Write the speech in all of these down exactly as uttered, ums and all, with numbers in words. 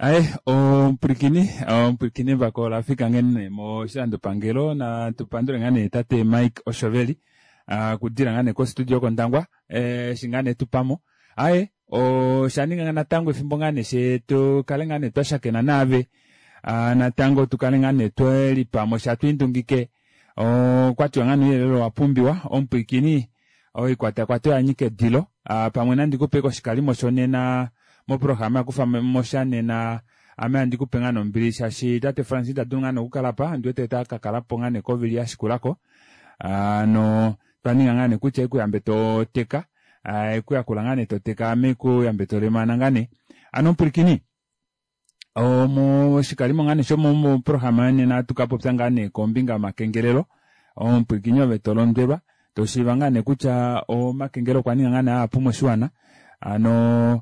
Aye omupwilikini omupwilikini embako olafika nghene moshilandopangelo natupandule ngaa nee tate Mike Oshoveli okudila ngaa nee kostudio kOndangwa eshi ngaa nee tupamo. Aye oshaninga natango efimbo ngaa nee she tukale ngaa nee twashakena naave natango tukale ngaa nee twelipamo sha twiindungike okwatiwa ngaa nee ouyelele owapumbiwa omupwilikini oikwatakwata oyanyika edilo pamwe nandi kupe oshikalimo shonena moprograma yakufamosha nena ame andi kupe ngaa nombili shaashi tate Francis ita dulu ngaa nee okukalapa ondiwete ota kakalapo ngaa nee kovili yashikulako ano twaninga ngaa nee kutya ekuyambe toteka ekuyakula ngaa nee toteka ame kuyambe tolemana ngaa nee ano omupwilikini moshikalimo ngaa nee shomoprograma yonena ohatu kapopya ngaa nee kombinga yomakengelelo omupwilikini ove tolondwelwa toshiiva ngaa nee kutya omakengelo okwa ninga ngaa nee ahapu moshiwana ano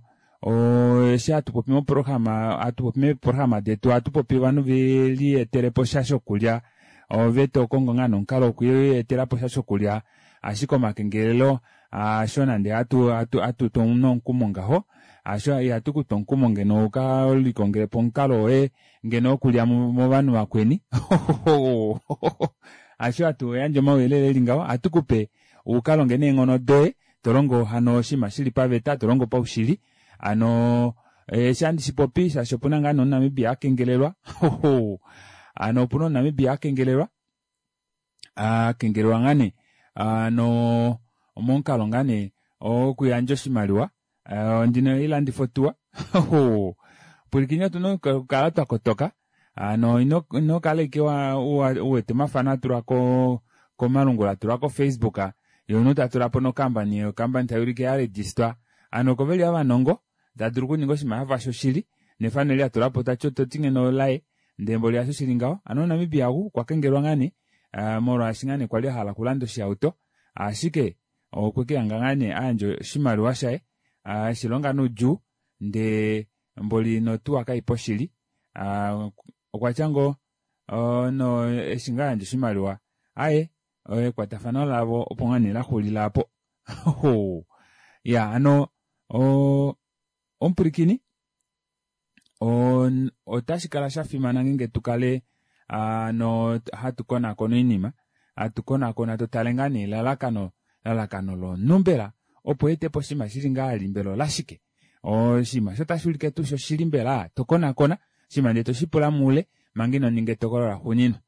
eshi hatu popi moprograma hatu popi meeprograma detu ohatu popi ovanhu velietelepo sha shokulya ove tokongo ngaa nee omukalo wokwietelapo sha shokulya ashike omakengelelo hasho nande hatu hatu tu nomukumo ngaho hasho ihatu kutu omukumo ngeno uka likongelepo omukalo woye ngeno wokulya movanhu vakweni hasho hatu yandje omauyelele eli ngaho ohatu kupe ukalonge neenghono doye tolongo hano oshinima shili paveta tolongo paushili ano eshi handi shipopi shaashi opuna ngaa nee omuNamibia akengelelwa ano opuna omuNamibia akengelelwa akengelelwa ngaa nee ano momukalo ngaa nee wokuyandja oshimaliwa ndino ilandifa otuwa pwilikini otuna okukala twakotoka ano ino kala ashike uwete omafano atulwa komalungula atulwa ko Facebook ye omunhu tatulapo nokampani okampani tayuulike yaregistwa ano oko veli ovanongo tadulu okuninga oshinima shafa shoshili nefano eli atulapo toti ngeno olaye ndee mboli hasho shili ngaho ano omuNamibia ou okwa kengelelwa ngaa nee molwaashi ngaa nee kwali ahala okulanda oshihauto ashike okwekehanga ngaa nee ayandja oshimaliwa shaye eshilonga noudjuu ndee mboli notuwa kaipo shili okwatya ngoo no eshi ngaa ayandja oshimaliwa aaye ekwatafano lavo opo ngaa nee laxulila aapo iya hano omupwilikini otashi kala shafimana ngeenge tukale hano hatu konakona oinima hatu konakona totale ngaa nee elalakano lalakano lomunhu mbela opo eetepo oshinima shili ngahali mbela olashike oshinima osho otashuulike tuu shoshili mbela tokonakona oshinima ndee toshipula moule manga inoninga etokolo laxuuninwa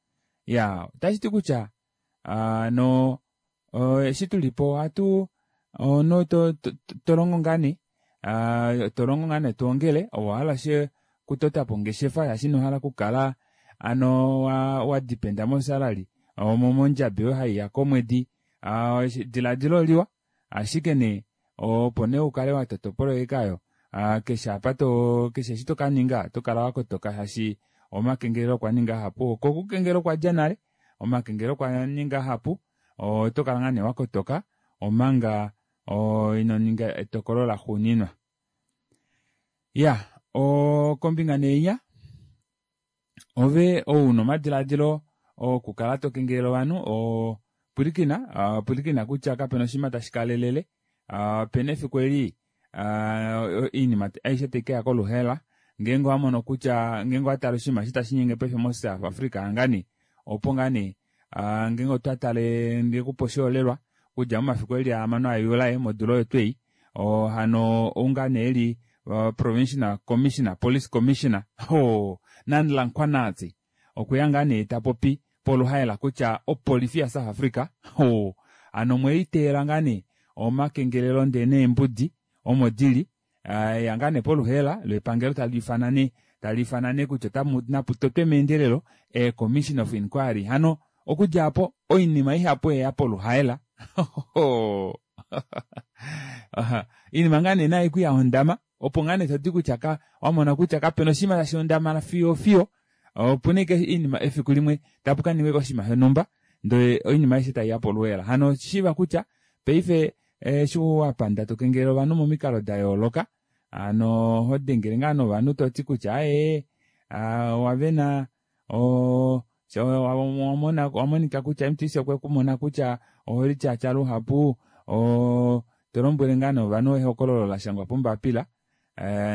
iyaa otashiti kutya hano eshi tulipo ohatu omunhu tolongo ngaa nee tolongo ngaa nee twoongele owahala okutotapo ongeshefa shaashi inohala okukala ano wadependa mosalary mondjabi oyo haiya komwedi edilaadilo oliwa ashike nee opo nee ukale watota opoloyeka aayo keshe apa to keshe eshi tokaninga otokala wakotoka shaashi omakengelelo okwa ninga ahapu oko okukengela okwadja nale omakengelelo okwa ninga ahapu otokala ngaa nee wakotoka omanga inoninga etokolo laxuuninwa iya kombinga nee ove ou una omadilaadilo okukala tokengelele ovanhu pwilikina pwilikina kutya kapena oshinima tashi kalelele opena efiku eli oinima aishe taikeya koluhaela ngeenge owamono kutya ngeenge owatale oshinima eshi tashiinyenge paife mo South Africa ngaa nee opo ngaa nee ngeenge otwa tale ndikupe oshiholelwa okudja momafiku eli ahamano a July modula oyo twei hano ou ngaa nee eli provincial commissioner police commissioner Nhlanhla Mkhwanazi okweya ngaa nee tapopi poluhaela kutya opolifi ya South Africa hano omweliteela ngaa nee omakengelelo ndee neembudi omo dili ya ngaa nee poluhaela lepangelo taliifana nee taliifana nee kutya napu totwe meendelelo e commission of inquiry hano okudja aapo oinima ihapu oyeya poluhaela oinima ngaa nee nayo kuyahondama opo ngaa nee todi kutya wamona kutya kapena oshinima tashi hondamana fiyo fiyo opuna ashike oinima efiku limwe tapu kaningwa oshinima shonhumba ndee oinima aishe taiya poluhaela hano shiiva kutya paife eshi wapanda tokengelele ovanhu momikalo dayooloka hano hodengele ngaa novanhu toti kutya aaye owavena owamonika kutya M T C okwekumona kutya oholityatya luhapu tolombwele ngaa nee ovanhu ehokololo lashangwa pombapila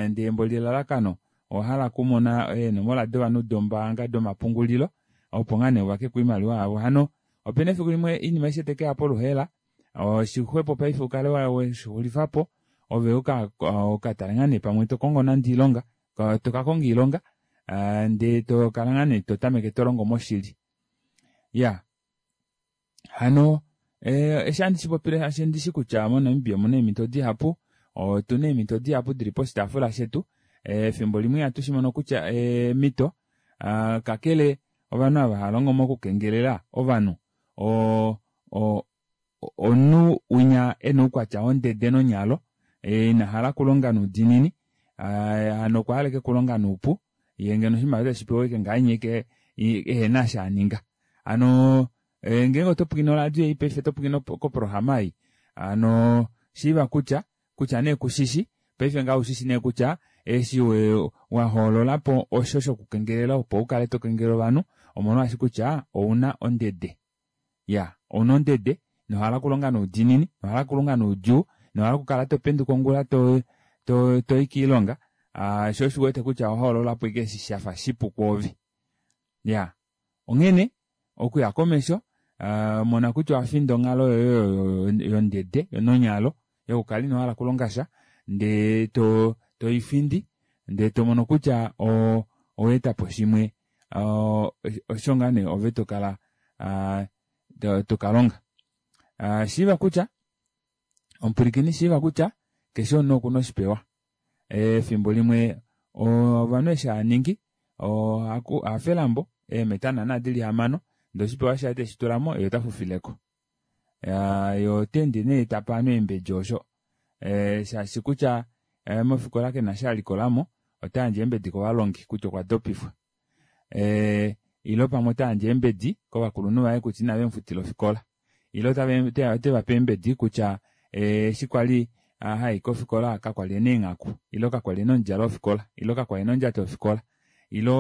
ndee mboli elalakano Owahala okumona eenomola dovanhu dombaanga domapungulilo opo ngaa nee uvakeko oimaliwa yavo. Hano opena efiku limwe oinima aishe taikeya poluheela oshixwepo paife ukale weshixulifapo ove ukatale ngaa nee pamwe tokongo nande oilonga tokakonga oilonga ndee tokala ngoo nee totameke tolongo moshili. Iyaa hano eshi ohandi shipopile shaashi ondishi kutya mo Namibia omuna eemito dihapu otuna eemito dihapu dili poshitaafula shetu efimbo limwe ihatushimono kutya eemito kakele ovanhu ava haalongo mokukengelela ovanhu oo omunhu winya ena oukwatya wondede nonyalo inahala okulonga noudiinini hano okwahala ashike okulonga noupu yee ngeno oshimaliwa teshipewa ashike ngahenya ashike ehena eshi aninga. Hano ngeenge otopwilikine oradio ei paife otopwilikine koprograma ei hano shiiva kutya kutya nee kushishi paife ngaha oushi nee kutya eshi wahoololapo osho shokukengelela opo ukale tokengelele ovanhu omolwaashi kutya ouna ondede iyaa ouna ondede inohala okulonga noudiinini inohala okulonga noudjuu inohala okukala topenduka ongula toyi koilonga shoo osho uwete kutya owahoololapo ashike eshi shafa shipu kwoove. Iyaa onghene okuya komesho mona kutya owafinda onghalo yoye yondede nonyalo yokukala inohala okulongasha ndee toifindi ndee tomono kutya owaetapo shimwe osho ngoo nee ove tokala tokalonga. Shiiva kutya omupwilikini shiiva kutya keshe omunhu okuna oshipewa efimbo limwe ovanhu eshi haaningi ohafe elambo eemeta naana dili hamano ndee oshipewa shaye teshitulamo yee otafufileko yee oteende nee tape ovanhu eembedi osho shaashi kutya mofikola kena eshi alikolamo otayandje eembedi kovalongi kutya okwa dopifwa ile pamwe otayandje eembedi kovakulunhu vaye kutya ina vemufutila ofikola ile otevape eembedi kutya eshi kwali hayi kofikola kakwali ena eenghaku ile kakwali ena omudjalo wofikola ile kakwali ena ondjato yofikola ile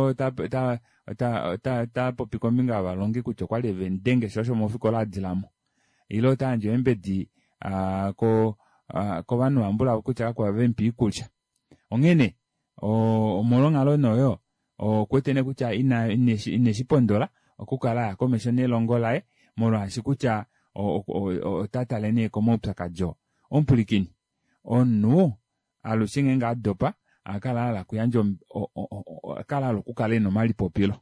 otapopi kombinga yovalongi kutya okwali vemudenge shoo osho mofikola adilamo ile otayandje eembedi kovanhu vambulavo kutya kakwali vemupa oikulya. Onghene omolwo onghalo nee oyo okuwete nee kutya ineshipondola okukala aya komesho nelongo laye molwaashi kutya otatale nee komaupyakadi oo. Omupwilikini omunhu alushe ngeenge adopa ohakala ahala okuyandja ohakala ahala okukala ena omalipopilo.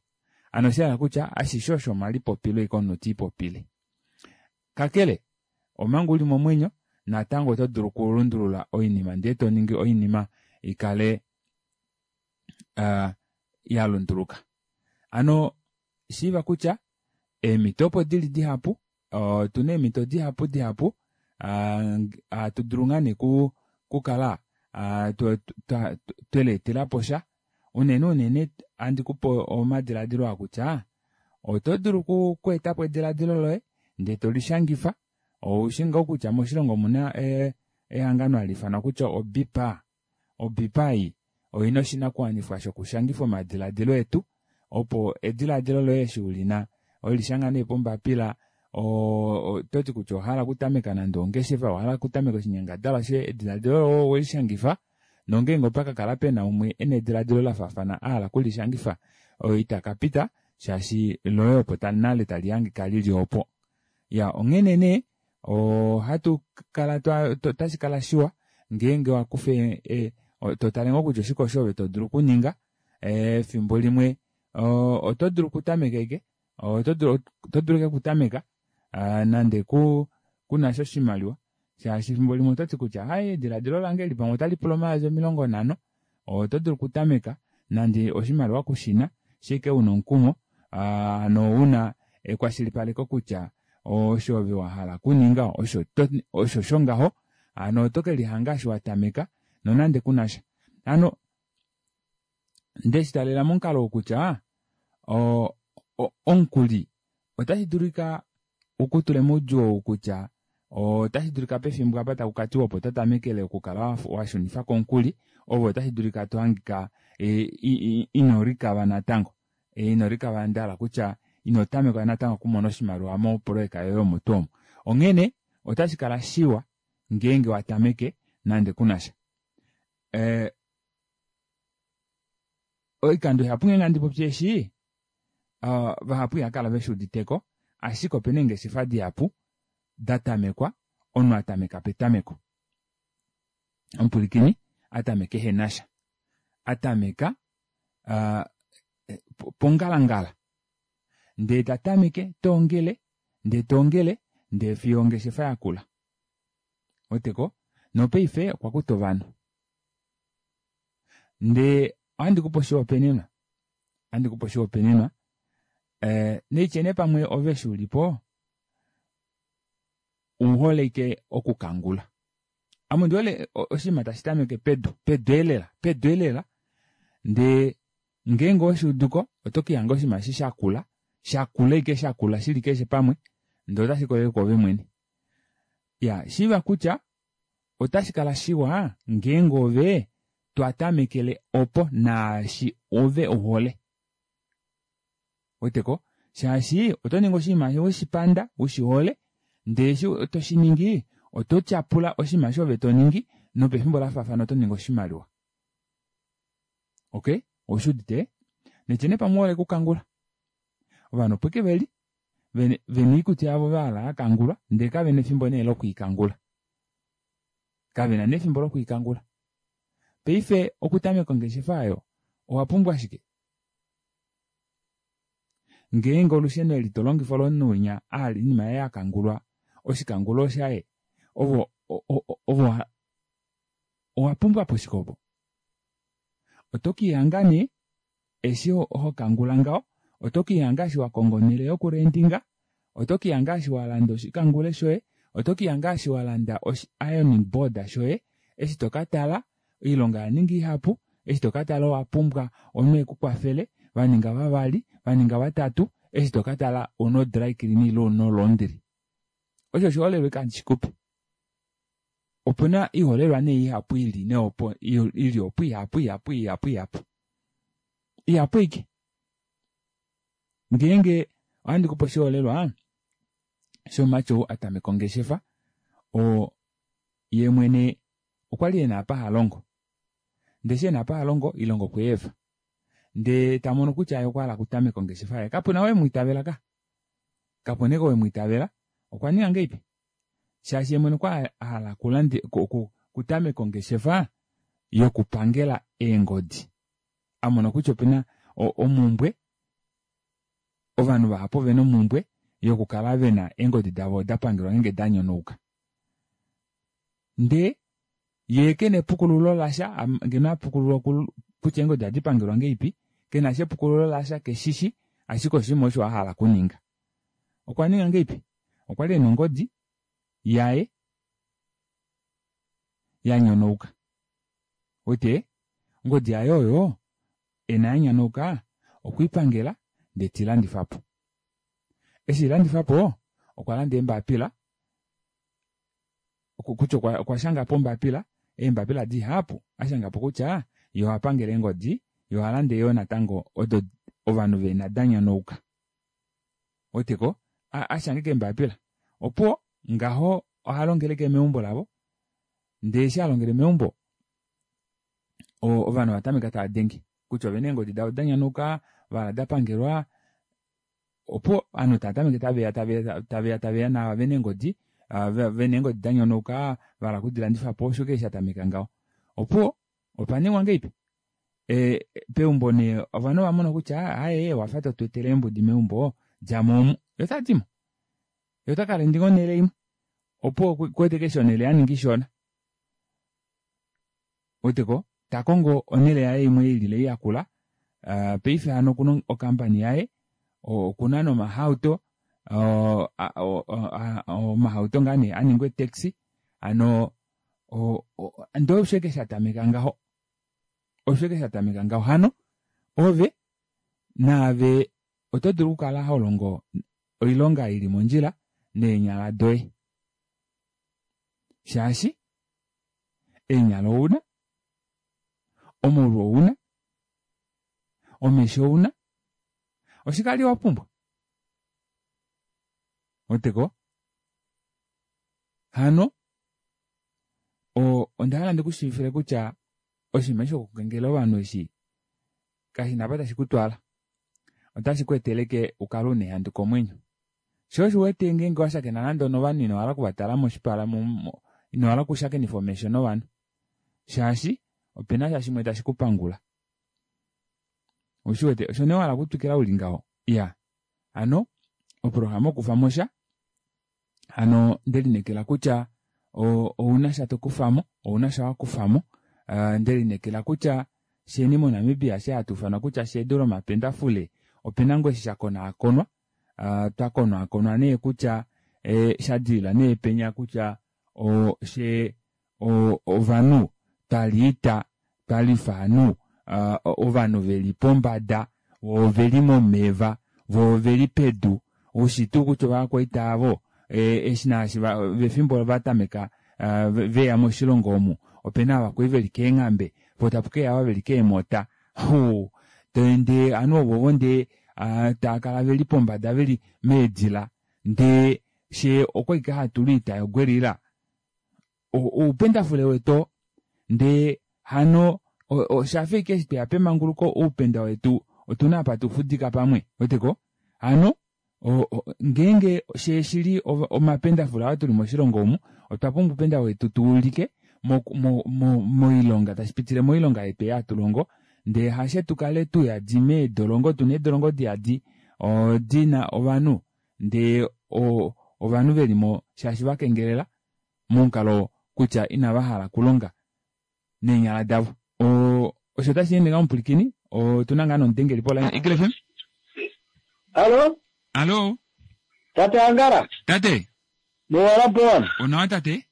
Hano oshahala kutya ashishe osho omalipopilo ashike omunhu tiipopile. Kakele omanga uli momwenyo natango oto dulu okulundulula oinima ndee toningi oinima ikale yalunduluka. Hano shiiva kutya eemito opo dili dihapu otuna eemito dihapu dihapu hatu dulu ngoo nee okukala tweleetelaposha unene unene ohandi kupe omadilaadilo aa kutya oto dulu okweetapo edilaadilo loye ndee tolishangifa oushi ngoo kutya moshilongo omuna ehangano hali ifanwa kutya o B_P_A. O B_P_A ei oina oshinakuwanifwa shokushangifa omadilaadilo etu opo edilaadilo loye eshi ulina welishanga nee pombapila ototi kutya owahala okutameka nande ongeshefa owahala okutameka oshinyangadalwa shoye edilaadilo loye owelishangifa nongeenge opakakala pena umwe ena edilaadilo lafaafana ahala okulishangifa itakapita shaashi loye opo nale tali hangika lili opo. Iyaa onghene nee ohatu kala otashikala shiwa ngeenge wakufa totale ngoo kutya oshike osho ove todulu okuninga efimbo limwe oto dulu okutameka ashike otodulu ashike okutameka nande kunasha oshimaliwa shaashi efimbo limwe ototi kutya aaye edilaadilo lange eli pamwe otalipula omayovi omilongo nhano oto dulu okutameka nande oshimaliwa kushina ashike una omukumo hano una ekwashilipaleko kutya osho ove wahala okuninga osho ngaho hano oto kelihanga eshi watameka nonande kunasha. Hano ndeshitalela momukalo ou kutya omukuli otashi dulika ukutule moudjuu ou kutya otashi dulika pefimbo apa takukatiwa opo totamekele okukala washunifako omukuli ove otashi dulika tohangika ino likava natango ino likava ndahala kutya ino tameka natango okumona oshimaliwa mopoloyeka yoye omo tuu omo. Onghene otashi kala shiwa ngeenge watameke nande kunasha. Oikando ihapu ngeenge handi popi eshi, vahapu ihava kala veshi uditeko, ashike opena eengeshefa dihapu datamekwa omunhu atameka petameko. Omupwilikini atameka ehenasha. Atameka pongalangala ndee tatameke toongele ndee toongele ndee fiyo ongeshefa yakula. Ouweteko? Nopaife okwa kuta ovanhu. Ndee ohandi kupe oshihopaenenwa, ohandi kupe oshihopaenenwa naitye nee pamwe ove eshi ulipo ouhole ashike okukangula. Ame ondihole oshinima tashi tameke pedu, pedu elela, pedu elela ndee ngeenge oweshuuduko oto kelihanga oshinima eshi shakula, shakula ashike shakula shili keshe pamwe ndee otashi likolele kwoove mwene. Iyaa shiiva kutya otashi kala shiwa ngeenge ove twatamekele opo naashi ove uhole. Ouweteko shaashi otoningi oshinima weshipanda ushihole ndee eshi toshiningi oto tyapula oshinima eshi ove toningi nopefimbo lafaafana oto ningi oshimaliwa. Okey oushuudite? Naitye nee pamwe ouhole okukangula ovanhu opo ashike veli vena oikutu yavo vahala yakangulwa ndee kavena efimbo nee lokwiikangula. Kavena nee efimbo lokwiikangula. Paife okutameka ongeshefa aayo owapumbwa shike? Ngeenge olusheno eli tolongifa olomunhu winya ahala oinima yaye yakangulwa oshikangulo oshaye ove owapumbwapo shike opo? Oto kelihanga nee eshi hokangula ngaho oto kelihanga eshi wakonga onele yoku rendinga oto kelihanga eshi walanda oshikangule shoye oto kelihanga eshi walanda oshi ironing board shoye eshi tokatala oilonga oyaninga ihapu eshi tokatala owapumbwa omunhu ekukwafele vaninga vavali vaninga vatatu eshi tokatala ouna o dry clean ile ouna o laundry. Osho oshiholelwa ashike handi shikupe. Opena oiholelwa nee ihapu ili nee opo ili opo ihapu ihapu ihapu ihapu. Ihapu ashike. Ngeenge ohandi kupe oshiholelwa shomumati ou atameka ongeshefa oo yeemwene okwali ena apa halongo ndee eshi ena apa halongo oilonga okweyeefa ndee tamono kutya yee okwahala okutameka ongeshefa yaye kapena ou emwiitavela ka kapena ou emwiitavela okwaninga ngahelipi shaashi yeemwene okwali ahala okutameka ongeshefa yokupangela eengodi amona kutya opena omumbwe ovanhu vahapu ovena omumbwe yokukala vena eengodi davo dapangelwa ngeenge danyonauka. Ndee yee kena epukululo lasha ngeno apukululwa kutya eengodi ohadi pangelwa ngahelipi kenasha epukululo lasha keshishi ashike oshinima osho ahala okuninga. Okwa ninga ngahelipi? Okwali ena ongodi yaye yanyonauka. Ouwete ongodi yaye oyo ena yanyanauka okweipangela ndee teilandifapo. Eshi eilandifapo okwa landa eembapila kutya okwa shangapo ombapila eembapila dihapu ashangapo kutya yee ohapangele eengodi yee ohalande yoo natango odo ovanhu vena danyonauka. Ouweteko ashange keembapila opuwo ngaho ohalongele ashike meumbo lavo ndee eshi halongele meumbo ovanhu ovatameka taadenge kutya ovena eengodi davo danyonauka vahala dapangelwa opuwo ovanhu taatameke taveya taveya taveya naava vena eengodi vena eengodi danyonauka vahala okudilandifapo osho ashike shatameka ngaho. Opuwo opaningwa ngahelipi? Peumbo nee ovanhu ovamona kutya aaye owafa totweetele eembudi meumbo djamo omu yee otadimo yee otakalendinga onele imwe opuwo okuwete ashike eshi onele yaninga ishona ouweteko takongo onele yaye imwe ilile yakula paife hano okuna o company yaye okuna nomahauto omahauto ngaa nee aninga ee taxi hano ndee osho ashike shatameka ngaho osho ashike shatameka ngaho hano ove naave oto dulu okukala holongo oilonga ili mondjila neenyala doye shaashi eenyala ouna omaulu ouna omesho ouna oshike vali wapumbwa ouweteko hano ondahala ndikushiivifile kutya oshinima eshi shokukengelela ovanhu eshi Kashina apa tashi kutwala, otashi ku eteleke ukale una ehandu komwenyo. Shoo osho uwete ngeenge washakena nande onovanhu inohala okuvatala moshipala inohala okushakenifa omesho novanhu shaashi opena sha shimwe tashi kupangula. Ushiwete osho nee wahala okutwikila uli ngaho iya hano oprograma okufamosha hano ndelineekela kutya ouna sha tokufamo, ouna sha wakufamo, ndelineekela kutya sheni moNamibia eshi hatuufanwa kutya shedu lomapendafule opena ngoo eshi shakonaakonwa, twakonaakonwa nee kutya shadilila nee penya kutya fyee ovanhu twaliita twalifa ovanhu ovanhu veli pombada voo oveli momeva voo oveli pedu ushi tuu kutya ovakwaita aavo eshi naashi pefimbo vatameka veya moshilongo omu opena ava kwali veli keenghambe poo tapukeya ava veli keemota ndee ovanhu ovovo ndee taakala veli pombada veli meedila ndee fyee okwali ashike hatulu oita yo guerrilla oupendafule wetu oo ndee hano oshafa ashike eshi tweya pemanguluko oupenda wetu otuna apa tufudika pamwe ouweteko hano ngeenge fyee shili omapendafule aa tuli moshilongo omu otwa pumbwa oupenda wetu tuulike moilonga tashipitile moilonga yetu ei hatulongo ndee hashe tukale tuyadi meedolongo tuna eedolongo diyadi dina ovanhu ndee ovanhu velimo shaashi vakengelela momukalo kutya inavahala okulonga neenyala davo. Osho ota sheende ngaho omupwilikini otuna ngaa nomudengeli poline Eagle F M. Hallo. Hallo. Tate Angala. Tate. Mowala powana. Onawa tate.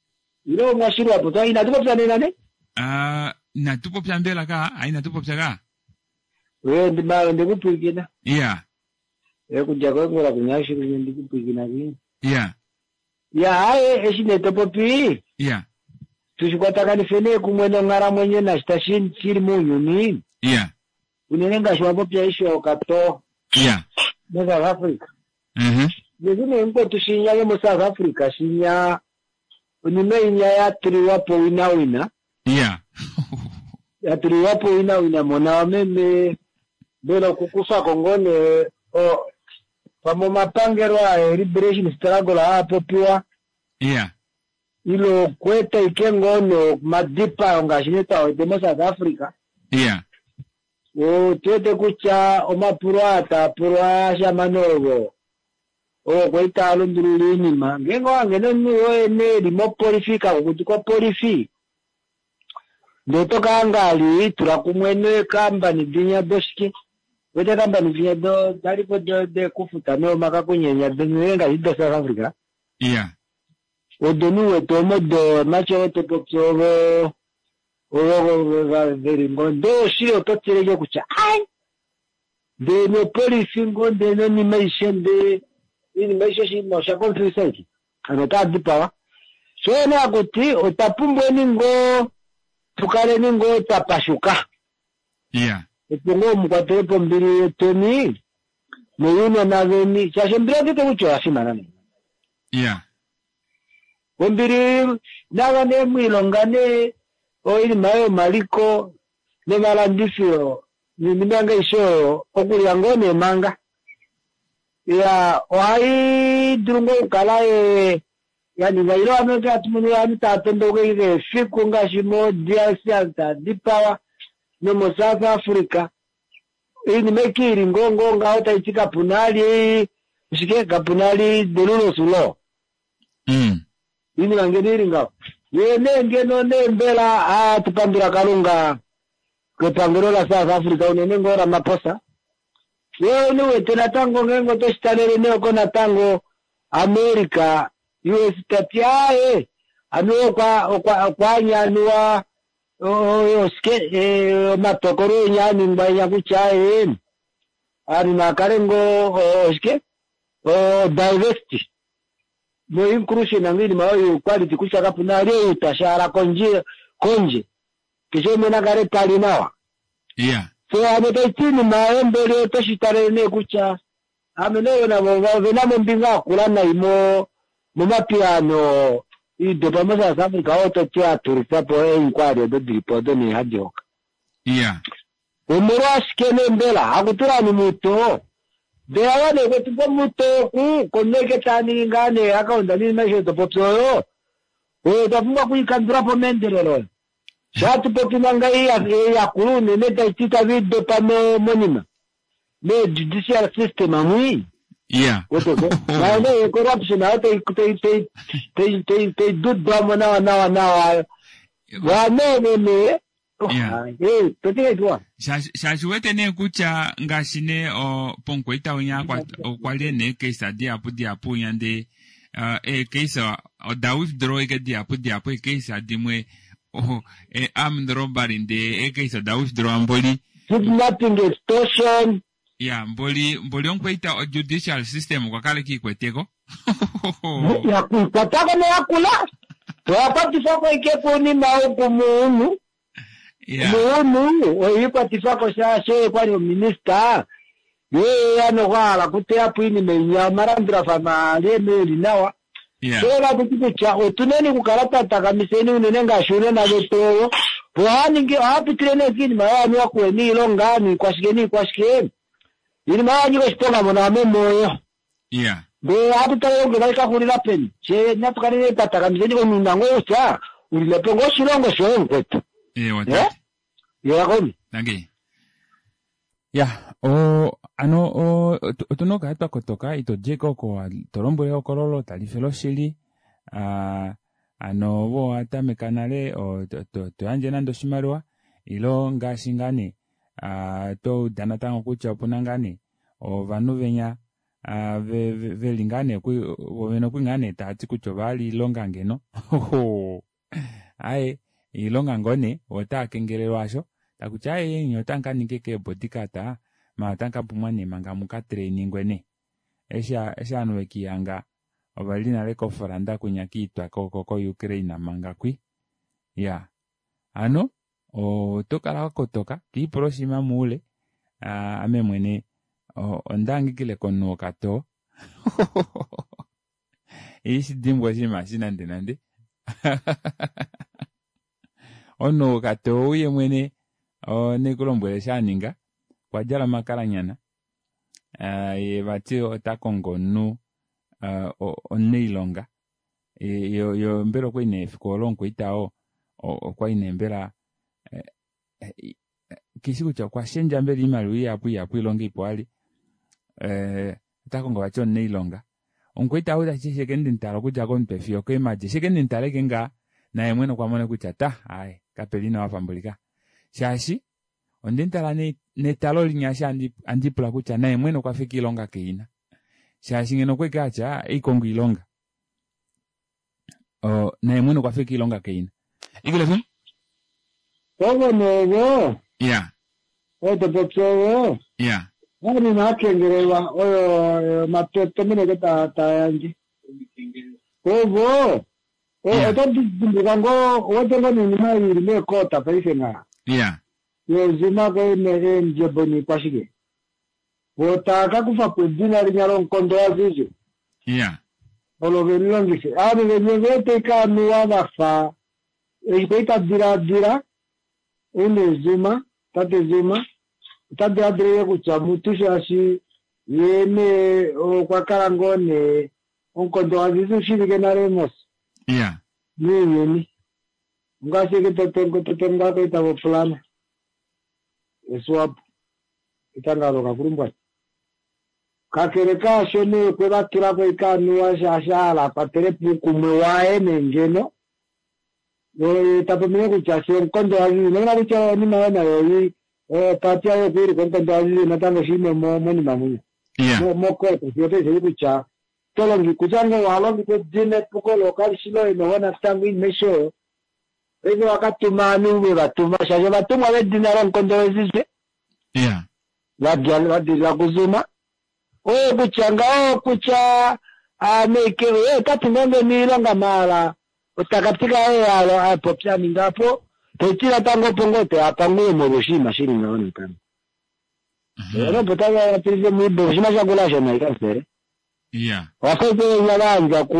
Ile omwashilwa po twa inatu popya nena ne? Ah, inatu popya mbela ka, ah inatu popya ka. We ndima ndikupwikina. Yeah. E kudja koengola kunyashilwa ndikupwikina ki. Yeah. Ya haye eshi nee topopi. Yeah. Tushikwatakanifeni nee kumwe nonghalamwenyo nashi tashi shili mounyuni. Yeah. Unene ngaashi wapopya eshi okato. Yeah. Mo South Africa. Mhm. Yezi nee mkwetu shinya yo mo South Africa shinya onima inya ya tuliwapo wina wina. Yeah. Ya tuliwapo wina wina mona wameme mbela okukufako ngoo nee o pamwe omapangelo aa liberation struggle aa popiwa. Yeah. Ile okweeta ike ngoo nomadipayo ngaashi nee twawete mo South Africa. Yeah. Otuwete kutya omapulo aa taapulwa ashamane ovo ovo kwali taa lundulula oinima ngeenge owange nomunhu woye nee eli mopolifi kakukutu kopolifi ndee oto kahanga ali tula kumwe neekambani dinya doshike wete eekambani dinya do dalipo dekufuta neomakakunyenya ngaashi do South Africa. Yeah. Odo nuwete omo do macho topopi ovo ovo veli ngoo ndee oshili oto tileke kutya ai ndee nopolifi ngoo ndee nonima aishe ndee oinima aishe oshinima osha confuse aike ovanhu otava dipawa sho nee hakuti otwa pumbweni ngoo tukaleni ngoo twapashuka. Yeah. Opo ngoo mukwatelepo ombili yetweni noyounona veni shaashi ombili ondiwete kutya oya fimana nee. Yeah. Ombili nava nee mwilonga nee oinima yomaliko nomalandifilo noinima yange aishe oyo okulya ngoo nee manga. Ya ohai dulu ngoo okukala yaninga ile ame hatu mono ovanhu tava tondoka keshe efiku ngaashi mo D R C ovanhu tava dipawa nomo South Africa oinima ike ili ngoo ngoo ngaho taiti kapuna ali shike kapuna ali the rule of law. Mm. Oinima ngeno ili ngaho ye nee ngeno nee mbela atupandula Kalunga kepangelo la South Africa unene ngoo Ramaphosa. Ye niwete natango ngeenge otoshitalele nee oko natango America U S tati aaye anuwa okwa okwa okwaanyanuwa oshike omatokolo enya aningwa enya kutya aaye ovanhu naakale ngoo oshike diversity no inclusion nango oinima oyo equality kutya kapuna ali ou tashaala kondje kondje keshe umwe nakale tali nawa. Yeah. So ame taiti oinima yombeli otoshitalele nee kutya ame nee navo ovena mombinga yakula nai mo momapiyaano iidopa mo South Africa oo toti atulithapo eenkwali odo dilipo odo nee hadi hoka. Yeah. Omolwashike nee mbela hakutula ni muto mbela wane kwetu pomuto oku koneke taa ningi ngaa nee akaunda niinima aishe topopi oyo oyo twa pumbwa okuikandula po meendelelo. Shatu popi manga yakulu unene taiti tavi dopa monima me judicial system amwi. Yeah. Nayo corruption ayo tai tai dudwamo nawa nawa nawa. Wanene shaashi wete nee kutya ngaashi nee pomukwaita winya okwa li nee eecase dihapu dihapu winya ndee eecase oda withdraw ike dihapu dihapu eecase dimwe armed robbery ndee eecase oda withdraw mboli kidnapping, extortion. Ya mboli mboli omukwaita judicial system okwa kala kiikweteko yakuikwatako noyakula toyakwatifa ike kunima oku muunu muunu oyiikwatifako shaashi kwali ominista yeya nokwahala kuteyapo iinima inya omalandulafano ali eli nawa. Shola tuti kutya otuneni okukala twa takamiseni unene ngaashi unena vetu oyo po ohaningi ohapitile nee kiinima yoanuwa kuwe niilonga niikwashike niikwashike iinima yanyika oshiponga mono amemoyo. Ndee ohatu tale nge tayi kahulila peni she natu kale twa takamiseni omunhu ngoo kutya ulilepo ngoo oshilongo shoye mukwetu. Yakoni. Dankie. Ya, o ano o otuna okukala twa kotoka ito djeko oko to lombwele ehokololo tali fele oshili uh, ano vo watameka nale to yandje nande oshimaliwa ilo ngaashi ngaa nee uh, to uda natango kutya opuna ngaa nee ovanhu venya uh, veli ngaa nee vovene okwi ngaa nee taati kutya ovahala iilonga ngeno aye iilonga ngoo nee otaa kengelelwa asho takutya aye nye otamu ka ninga keebodyguard ma otamu ka pumwa nee manga muka trainingwe nee eshi eshi ovanhu vekihanga ovali nale kofranda kwinya kiitwa ko Ukraine manga kwi ya ano oto kala wakotoka tiipula oshinima muule ame mwene ondahangikile komunhu wokatoo ishi dimbwa oshinima eshi nande nande omunhu wokatoo uye mwene nekulombwele shaninga okwa djala omakalanyana ye vati ota kongo omunhu omunailonga yo mbela okwali nee efiku olo omukwaita oo okwali nee mbela kishi kutya okwa shendja mbela oimaliwa ihapu ihapu ilonga ipo ali ota kongo vati omunailonga omukwaita ou tashi sheke ndimutala okudja komutwe fiyo keemadi sheke ndimutale ngaa naye mwene okwa mona kutya ta aye kapeli nawa pambulika shaashi ondimutala netalo linya eshi andipula kutya naye mwene okwa fika iilonga keina shaashi ngeno okweke atya eikongo iilonga naye mwene okwa fika iilonga keina ikile fim ovo nevo ya oto popi oyo ya anima akengelelwa oyo matomeneke tayandje ovo oto dimbuka ngoo owete ngoo niinima ili meekota paife nga ya yozuma eendjebo niikwashike otakakufa po edina linya lomukondo wazizi ya olo velilongife ovanhu venye vete ikanuwa vafa eshi kwali tadiladila une Zuma tate Zuma ota diladilile kutya mutu shaashi ye nee okwa kala ngoo nee omukondo wazizi ushivike nale mos ya muuyuni ongaashi eke totonga koita vopulana eswapo etangalo kakulumbwati kakele kaasho nee kwe vatulako ikanuwa shaashi ahala akwatele puukumwe waye nengeno tapomine kutya she omukondo wazizi nomona kutya onima yo nayo pati yayo okwiilika omukondo wazizi natango shiime monima munya mokota fiyo toisei kutya tolongi kutya ngoo ohalongitha edina epuko lokalishi loye noho natango iinima aishe oyo paife wakatuma ovanhu vevatuma shaashi ovatumwa vedina lomukondo wezize vadilila kuzuma oyo kutya ngaho kutya ameike otati ngoo ngeno iilonga maala otakatika alo apopya ningapo toiti natango opo ngoo toyapanguye molwa oshinima shili ngaho natango opo tavaapilise muibo oshinima shakula shona ikansele wafaike venya vaandja ku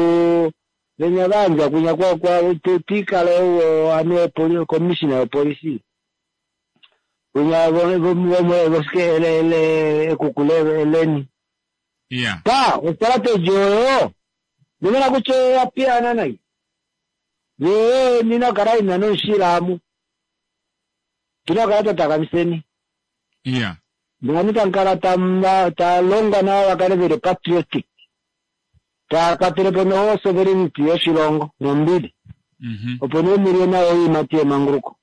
venya vaandja kunya kwa tikala ouo ane commissioner yopolisi Winya voshike ekuku leni. Yeah. Pa, ostrategy oyo ndimona kutya yapiyana nai. Ye nina kala ina noshilamu. Tinakala tatakamiseni. Yeah. Ndingani tankala talonga nawo vakale veli patriotic. Takwatelepo noho sovereignty yoshilongo nombili. Mhm. Opo nee milie nayo iimati yemanguluko.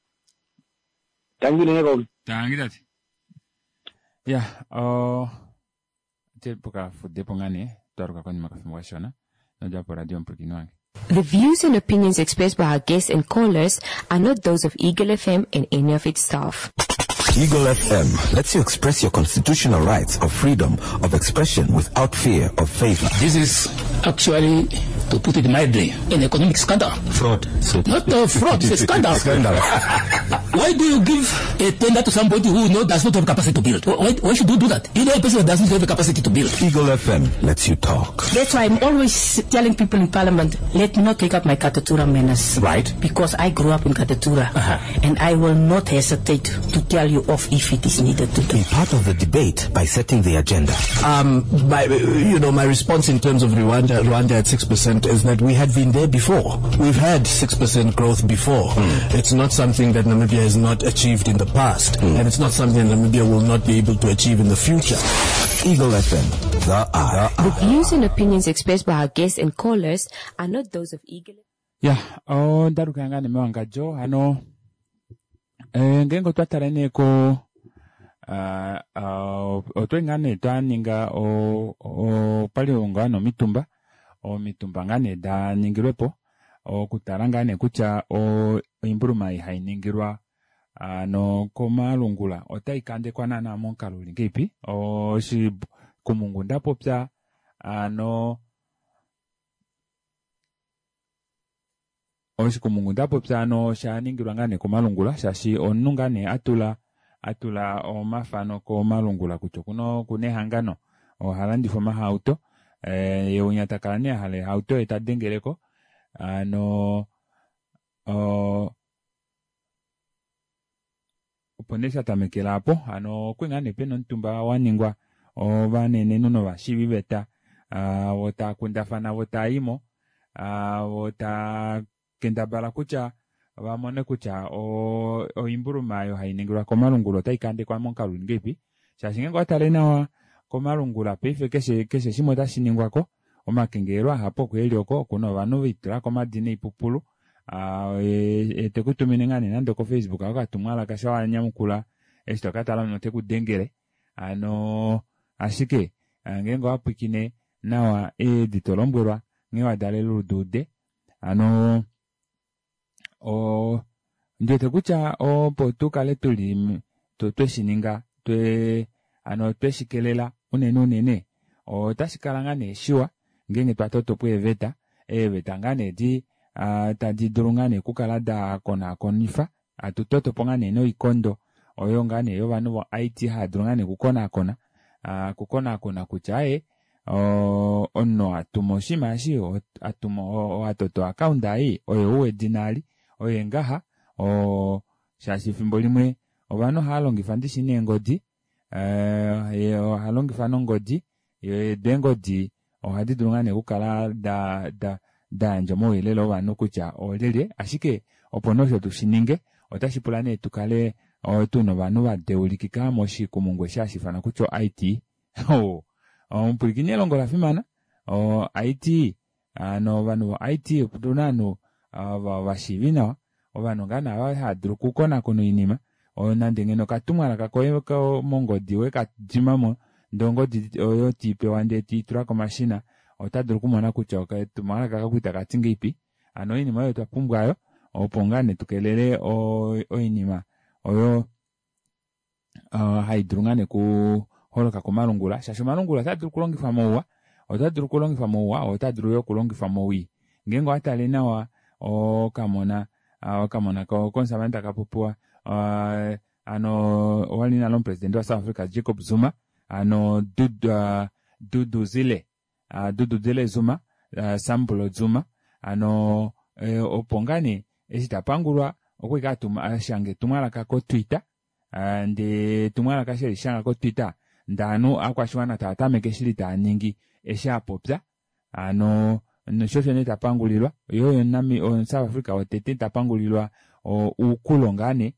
Tangi nene kaume. Tangi tate. Ya, o te pokafudepo ngaa nee twaluka konima kafimbo kashona nodjapo radio omupwilikini wange. The views and opinions expressed by our guests and callers are not those of Eagle F M and any of its staff. Eagle F M lets you express your constitutional rights of freedom of expression without fear of favor. This is actually, to put it mildly, an economic scandal. Fraud. So Not a fraud, it's a scandal. Scandal. Why do you give a tender to somebody who knows does not have capacity to build? Why, why should you do that? You know a person that doesn't have the capacity to build. Eagle F M lets you talk. That's why I'm always telling people in Parliament, let me not take up my Katutura manners. Right. Because I grew up in Katutura. Uh-huh. And I will not hesitate to tell you off if it is needed to do. Be part of the debate by setting the agenda. Um, my, you know, my response in terms of Rwanda, Rwanda at six percent is that we had been there before. We've had six percent growth before. Mm. It's not something that Namibia has not achieved in the past, mm. and it's not something that Namibia will not be able to achieve in the future. Eagle F M, the eye. The views and opinions expressed by our guests and callers are not those of Eagle. Yeah, oh, ndaruka ngane mewangajo hano. Eh, ngengo twatala neko ah uh, otwengane twaninga o o pali ngano mitumba o mitumba ngane da ningirwepo okutala ngane kutya o imbuluma hainingirwa ano komalungula otai kandekwa nana monkalo lingipi o shi kumungu ndapopya ano oshikumungu ndapopya ano shaningirwa ngane komalungula shashi omunhu ngane atula atula omafano komalungula kutya kuno kunehangano ohalandifa omahauto eh ye unyatakala ne hale hauto etadengeleko ano o opo nee shatamekela apo ano okwinga nee pena omutumba waningwa ovanenenhu novashiviveta vo taakundafana vo taayimo vo taakendabala kutya vamone kutya oimbuluma oyo hainingilwa komalungula otai kandekwa momukalo ngeipi shaashi ngeenge owatale nawa komalungula paife keshe keshe shimwe otashi ningwako omakengelelo ahapu oku eli oko okuna ovanhu veitulako omadina oipupulu tekutumine ngaa nee nande ko Facebook okatumwalaka shawanyamukula eshi tokatala notekudengele ano ashike ngeenge owapwikine nawa eedi tolombwelwa nghee wadalele oluduude ano o ndiwete kutya opo tukale tuli tweshininga twe ano tweshikelela unene unene otashi kala ngaa nee shiwa ngeenge twatotopo eeveta eeveta ngaa nee di tadi dulu ngaa nee okukala da konakonifa hatu totopo ngaa nee noikondo oyo ngaa nee yovanhu vo I T hava dulu ngaa nee okukonakona okukonakona kutya aye omunhu atuma oshinima eshi atuma owatoto account ei oyo uwedina ali oye ngaha o shaashi efimbo limwe ovanhu ohava longifa ndishi neengodi eh oha longifa nongodi eengodi ohadi dulu ngaa nee okukala da da dayandja omauyelele ovanhu kutya olyelye ashike opo nosho tushininge otashi pula nee tukale tuna ovanhu vadeulikika moshikumungu eshi hashi ifanwa kutya I T omupwilikini elongo la fimana o I T ano ovanhu vo I T otuna ovanhu vashiivi nawa ovanhu ngaa nee ava hava dulu okukonakona oinima nande ngeno okatumwalaka koye mongodi wekadimamo ndee ongodi oyo tiipewa ndee tiitula komashina ota dulu okumona kutya okatumwalaka kaku takati ngeipi ano oinima oyo twapumbwayo opo ngaa nee tukelele oinima oyo haidulu ngaa nee kuholoka komalungula shaashi omalungula ota dulu okulongifwa mouwa ota dulu okulongifwa mouwa ota dulu yo okulongifwa mowii ngeenge owatale nawa okamona okamona komusamane takapopiwa ano owali nale omupresidente wa South Africa Jacob Zuma ano Duduzile Duduzile Zuma Sambulo Zuma ano opo ngaa nee eshi tapangulwa okwali atuma ashange etumwalaka ko Twitter Ndee etumwalaka eshi elishanga ko Twitter ndee ovanhu ovakwashiwana tava tameke shili taaningi eshi apopya hano nosho osho nee tapangulilwa yee oye omu South Africa wotete tapangulilwa oukulo ngaa nee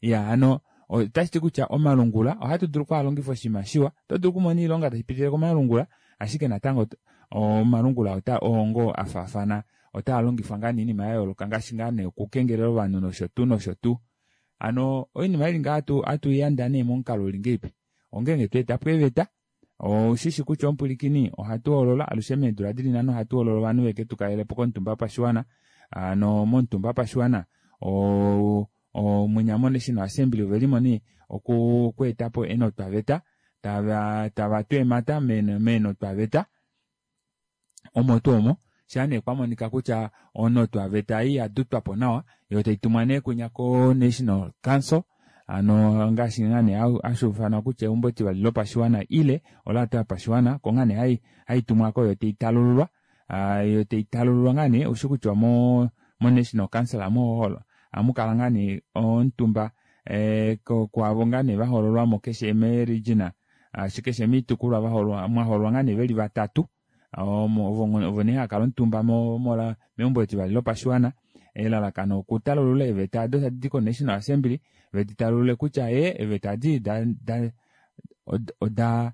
iyaa hano otashiti kutya omalungula ohatu dulu okwaalongifa oshinima shiwa oto dulu okumona oilonga tashipitile komalungula ashike natango omalungula oo ngoo afaafana otaalongifwa ngaa nee oinima yayooloka ngaashi ngaa nee okukengelela ovanhu nosho tuu nosho tuu. Hano oinima ili ngaha hatuiyanda nee momukalo uli ngahelipi ongenge tweetapo eeveta oushishi kutya omupwilikini ohatu hoolola alushe meedula dili nhano ohatu hoolola ovanhu veke tukalelepo komutumba wopashiwana hano momutumba wopashiwana mwinya mo National Assembly ovelimo nee okweetapo eenotwaveta tava tava tu eemhata meenotwaveta omo tuu omo shaa nee kwamonika kutya onotwaveta ei yadutwapo nawa yoo taitumwa nee kwinya ko National Council hano ngaashi ngaa nee hashuufanwa kutya eumbo etivali lopashiwana ile olaata yopashiwana oko ngaa nee haitumwako yoo taitalululwa yoo taitalululwa ngaa nee ushi kutya mo National Council ohamukala ngaa nee omutumba kwaavo ngaa nee vahoololwamo keshe mee region keshe moitukulwa mwahoololwa ngaa nee veli vatatu ovo nee haakala omutumba meumbo etivali lopashiwana elalakano okutalulula eeveta aado tadidi ko National Assembly veditalulule kutya ee eeveta edi oda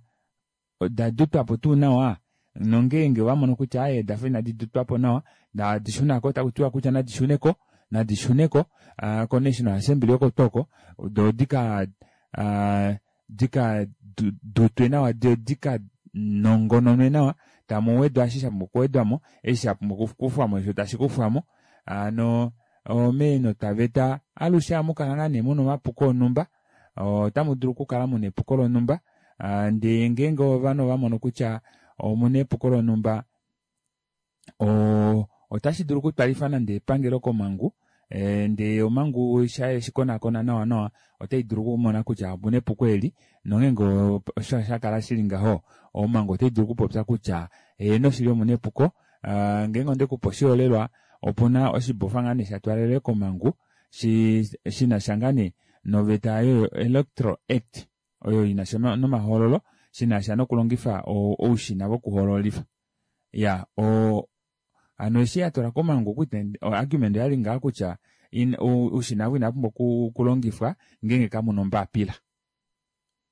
oda dutwapo tuu nawa nongeenge ovamono kutya aaye odafa inadi dutwapo nawa tadishunako takutiwa kutya nadishuneko nadishuneko ko National Assembly oko tuu oko doo dika dika dutwe nawa doo dika nongononwe nawa tamuwedwa eshi shapumbwa okuwedwamo eshi shapumbwa okukufwamo shoo tashi kufwamo hano meenotwaveta alushe ohamukala ngaa nee muna omapuko onumba otamu dulu okukala muna epuko lonumba ndee ngeenge ovanhu ovamono kutya omuna epuko lonumba otashi dulu okutwalifa nande epangelo komangu ndee omangu eshikonakona nawa nawa otai dulu okumona kutya omuna epuko eli nongeenge osho shakala shili ngaho omangu otai dulu okupopya kutya heeno shili omuna epuko ngeenge ondekupe oshiholelwa opuna oshibofa ngaa nee shatwalelwe komangu shinasha ngaa nee noveta yo Electoral Act oyo inasha nomahoololo shinasha nokulongifa oushina vokuhoololifa ya hano eshi yatwalwa komangu argument oyali ngaha kutya oushina ovo inavapumbwa okulongifwa ngeenge kamuna ombapila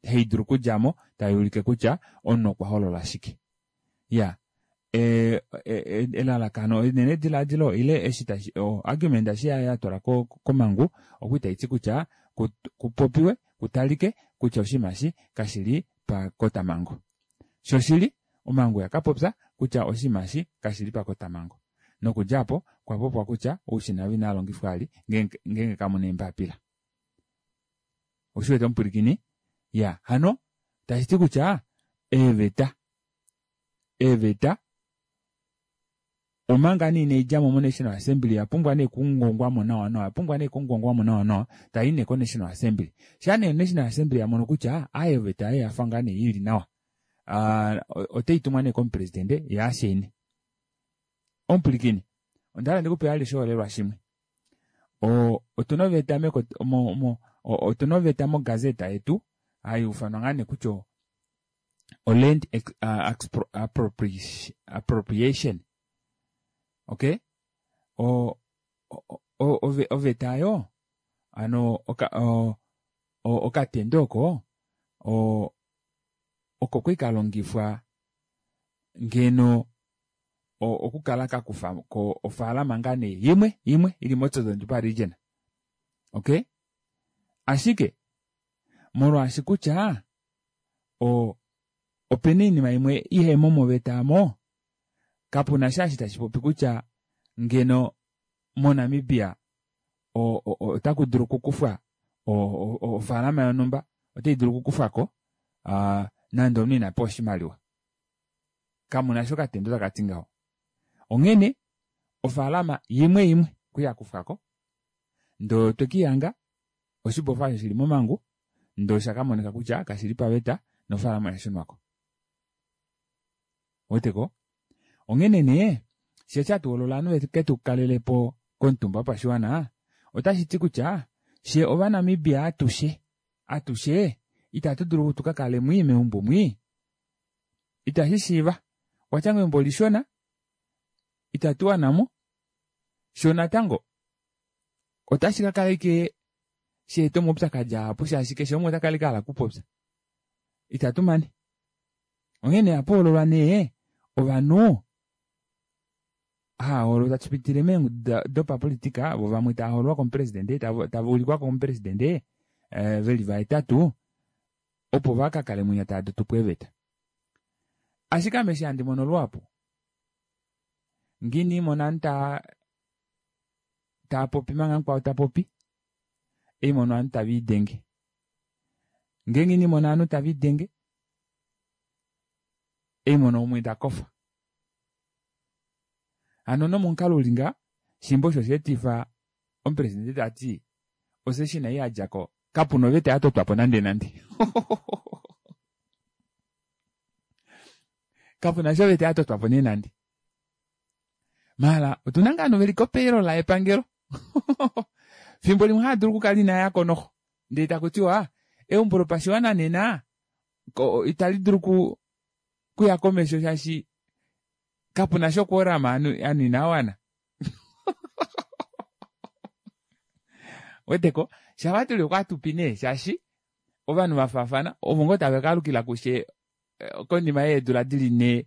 haidulu okudjamo tayuulike kutya omunhu okwa hoolola shike ya elalakano enenediladilo ile eshi tashi argument eshi yatwalwa komangu okwali taiti kutya kupopiwe kutalike kutya oshinima eshi kashili pakotamango shoshili omangu yakapopya kutya oshinima eshi kashili pakotamango nokudja aapo okwa kutya oushina ovo inaalongifwa vali ngeenge kamuna eembapila oshiwete omupwilikini ya hano tashiti kutya eeveta eeveta omanga nee inaidjamo mo National Assembly oyapumbwa nee okungongwamo nawa nawa oyapumbwa nee okungongwamo nawa nawa tayi nee ko National Assembly shaa nee National Assembly yamono kutya aaye oveta ei oyafa ngaa nee ili nawa otaitumwa nee komupresidente yee ashaine omupwilikini ondahala ndikupe vali oshiholelwa shimwe otuna oveta otuna oveta mogazeta yetu haiufanwa ngaa nee kutya o land appropriation okay oveta aayo hano okatendo oko oko kwali kalongifwa ngeno okukala kakufako ofaalama ngaa nee imwe imwe ili mOtjozondjupa region okay ashike molwaashi kutya opena oinima imwe ihemo moveta aamo kapuna sha eshi tashi popi kutya ngeno moNamibia ota kudulu okukufwa ofaalama yonumba otaidulu okukufwako nande omunhu inapewa oshimaliwa kamuna osho okatendo takati ngaho onghene ofaalama imwe imwe okwali yakufwako ndee otwekihanga oshibofa osho shili momangu ndee oshakamonika kutya kashili paveta nofaalama oyashunwako ouweteko onghene nee fyee eshi hatu hoolola ovanhu veketu kalelepo komutumba wopashiwana otashiti kutya She Ovanamibia atushe atushe itatu dulu tu ka kale mwii meumbo mwii. Itashi shiiva. Watya eumbo lishona itatu wanamo. Sho natango otashi ka kala ike sheeta omaupyakadi ahapu shaashi keshe umwe ota kala ike a hala okupopya. Itatu mane. Onghene ohapu nee ovanhu hahoololwa tashi pitile meengudu dopapolitika vo vamwe tava hoololwa komupresidente tava ulikwa komupresidente veli vahetatu opo vakakale mwinya tava dutupo eeveta. Ashike ame eshi handi mono luhapu ngini mona ovanhu tava taapopi manga mukwao tapopi eimono ovanhu tava idenge. Ngeenge inimono ovanhu tava idenge eimono umwe takofa. Hano nomomukalo uli ngaha shimba osho sheetifa omupresidente tati osession ei yadjako kapuna oveta yatotwapo nande nande. Kapuna sha oveta yatotwapo nee nande. Maala otuna ngaa ovanhu veli kopayroll yepangelo. Fimbo limwe haadulu okukala inayako noxo ndee takutiwa eumbo lopashiwana nena itali dulu kuya komesho shaashi kapuna sha quorum ovanhu inawana. Weteko shava tuli okwatupi nee shaashi ovanhu vafaafana ovo ngoo tava kalukila kushe konima yeedula dili nhee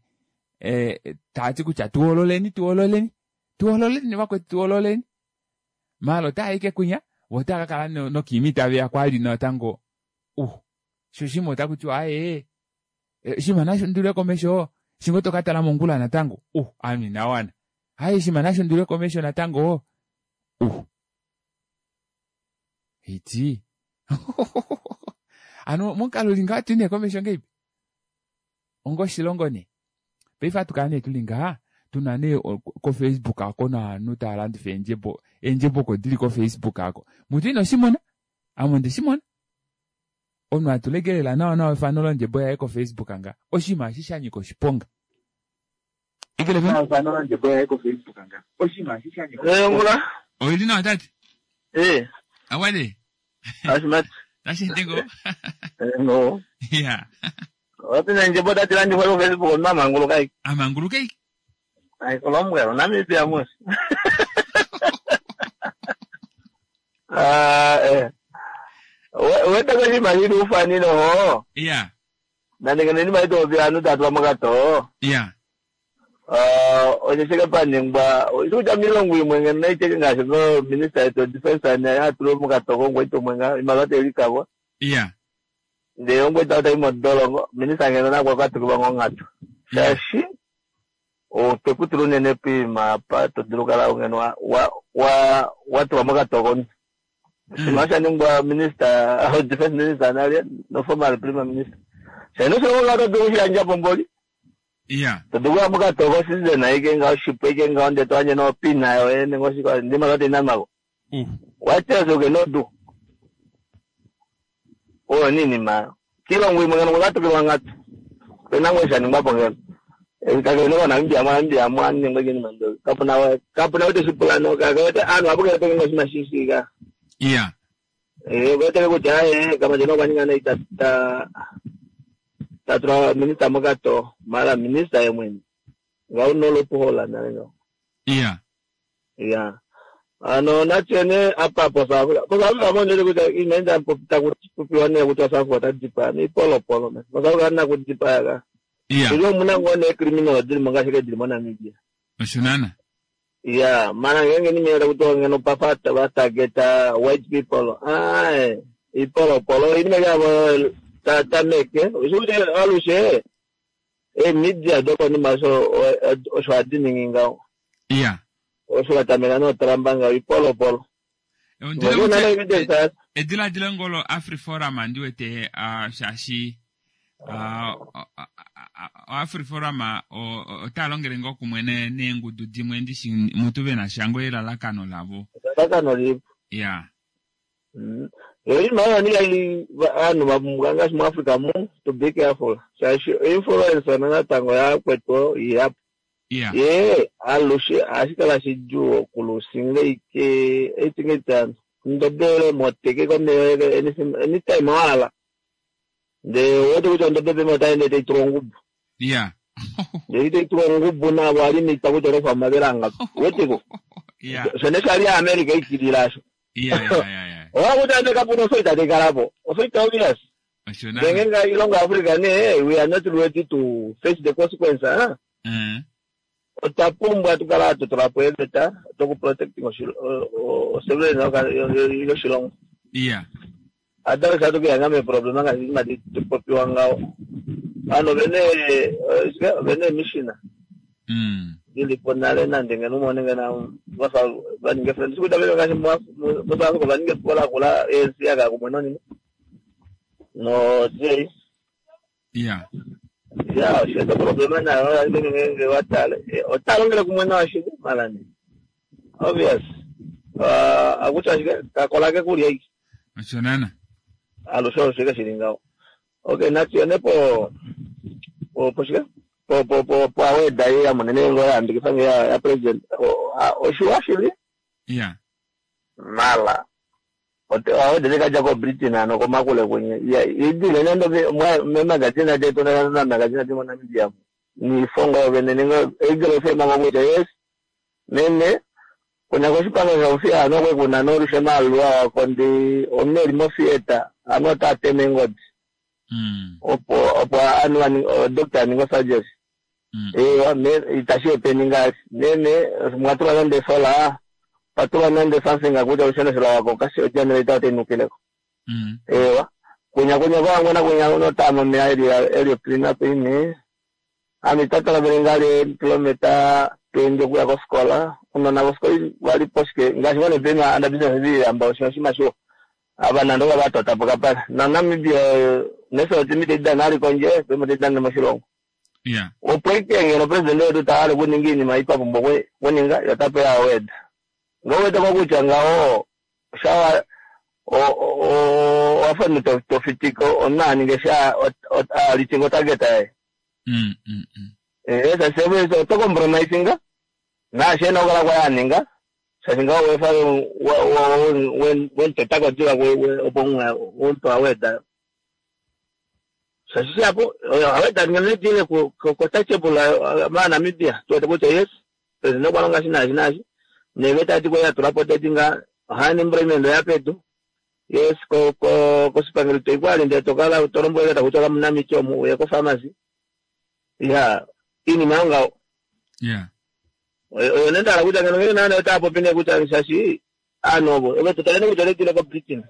taati kutya tuhoololeni tuhoololeni tuhoololeni vakwetu tuhoololeni. Maala otaayi ike kwinya vo otava kakala nokiimi taveya kwali natango uh sho shimwe otakutiwa aaye shima nashundulwe komesho shingo tokatala mongula natango uh ovanhu inawana. Aaye shima nashundulwe komesho natango uh iti hano momukalo uli ngaha atuyi nee komesho ngahelipi onga oshilongo nee. Paife hatukala nee tuli ngaha tuna nee ko-Facebook ako novanhu tava landifa eendjebo eendjebo oko dili ko-Facebook ako. Mutu ino shimona ame onde shimona. Omunhu atula lela nawa nawa efano londjebo yaye ko-Facebook nga oshinima eshi shanyika oshiponga. Efano londjebo yaye ko-Facebook nga oshinima eshi shanyika oshiponga. Oili nawa tate? Eh. Awale. Ashimati. Tashi ngo. No. Yeah. Wati neendjebo tadi landifwa ko-Facebook omunhu amanguluka ike. Amanguluka ike. Ai kolombwela Namibia mos. Ah eh. Weta koshinima shili ufani noho. Yeah. Nande ngeno inima itopopi ovanhu tava tulwa mokatoo. Yeah. Osho shike paningwa kutya miilongo imwe ngeno naiteke ngaashi minista yetu defense atulwe mokatoko ongwete umwe nga iimaliwa teilikabwa. Yeah. Ndee ongwete otayi modolongo minista ngeno nakwa katukilwa ngonghatu. Shaashi otwekutula unene poima apa todulu okukala ngeno wa wa watulwa mokatoko. Oshinima oshaningwa minister defense minister nale no former prime minister. Shaashi oshilongo ngaho oto dulu okushiyandjapo mboli. Yeah. Todulu okuya mokatoko citizen aike ngaho oshipu aike ngaho ndee toyandje nopina yoye nenge oshike ndee iimaliwa tainanwako. What else you cannot do? Oyo niinima kiilongo imwe ngeno kwakatukilwa onghatu. Opena ngoo shaningwapo ngeno. Kakele koNamibia moNamibia mwaningwa ike iinima mbyo. Kapuna kapuna ou teshipula no kakele aanhu ohava kala peke oshinima shishika. Yeah. Eh weteke kutya aye Kamandjena okwa ninga nai ta ta tatula minista mokatoo mara minista ye mwene ngaho una loophole nale ngaho. Yeah. Yeah. Ano natye apa po South Africa. Po South Africa mo kutya iinima taku popiwa nee kutya South Africa ota dipaya niipolopolo man. Po South Africa kana kudipaya ka. Yeah. Ili omuna ngoo nee criminal dili mo ngaashi dili moNamibia. Osho naana. Yeah, mana ngeenge nimene takutiwa ngeno pafa vatargeta white people. Ae, iipolopolo inima yavo tatameke. Osho kutya alushe eemedia dokonima osho osho hadi ningi ngaho. Yeah. Osho vatameka nootramba ngaho iipolopolo. Ediladilo ngolo AfriForum ndiwete uh, shaashi uh, AfriForum otava longele ngoo kumwe neengudu dimwe ndishi mutu vena sha ngoo elalakano lavo. Elalakano lipo. Yeah. Yo iinima oyo nika aanhu vapumbwa ngaashi muAfrica mu to be careful. Shaashi influence natango yakwetu ihapu. Yeah. Ye alushe ohashi kala shidjuu okulusinga ike eitinga itano. Ondobe moteke komeya anytime wahala. Ndee owete kutya ondobe pema otaende taitulwa ongubu. Ya. Ndee itaitulwa ongubu navo alimita kutya otofa omavela angapi. Uweteko? Ya. Shone shali America ikilila asho. Ya ya ya ya. Owa kutya ande kapuna osoita taikalapo. Osoita obvious. Osho Ndee nana. ngenga ilongo Africa nee we are not ready to face the consequence. Huh? Mm. Otwa pumbwa tukala hatu tula po eeveta dokuprotecting oselula yoshilongo. Ya. Otherwise hatu kuyanga meeproblema ngaashi inima tupopiwa ngaho. Ovanhu ovena ovena eemishina Mm. dilipo nale nande ngeno umone ngeno vafa vaninge friends kuta vele ngaashi muSouth Africa vaninge epuko lakula A N C yakaya kumwe nonima no D A. Ya. Ya, osheeta problema nayo ashike ngenge watale otalongele kumwe nayo ashike malani. Obvious. Uh, akutya ashike kakola ke kulya iki. Osho nana. Alushe oshike shili ngaho. Okay, natuyone po po po shike? Po po po po aweda ye yamonene ngo yayambikisa nge ya, ya president. Oshiwa shili? Ya. Mala. Ote aweda leka ko Britain ano komakule kwenye. Ya idile nendo me magazine ate tona na magazine ate mo Namibia. Ni fonga vene ningo egelo fema ngo yes. Mene kuna koshipanga shofia ano kwe kuna norushema alwa kondi omneri mo theater ano tateme ngodi. Mm. Opo opo anu ani doctor aningo surgery. Mm. Eh me itashi openinga nene mwatula nande sola patula nande something akuja ushona sola wako kasi generator tenukileko. Mm. Ewa kunya kunya kwa ngona kunya uno tama me area area clean up ini. Ami tata la berengali kilomita twenty kuya ko skola uno na skola wali poske ngashi wane pema anda business bi ambao shima sho abana ndo batota pokapala na Namibia neso timite dana konje pema dana moshilongo. Yeah. Opo ikengelo president wetu taale kuninga iinima ipapumbwa kuninga yotape yaweda ngoweda kwakutya ngawo shawa wafana tofitika onaninge sha alitingo target aye. Mm mm mm. Eh sasa to compromisinga na shena okala kwa yaninga sasa ngawo wefa wen wen tetako jua opo unto aweda. Sasa hapo aweda ngenetile ku ku touchable ma Namibia tuwete kutya yes president kwalonga shinashi nashi neveta ati kwa tulapo tinga unemployment yapetu yes ko ko ko sipangelo toikwali nde tokala tolomboeleta kutoka munamicho mu yeko pharmacy ya ini manga yeah oyo nenda la kuja ngene nana tapo pine kuja shashi anobo ebe tutalene kuja letile ko Britain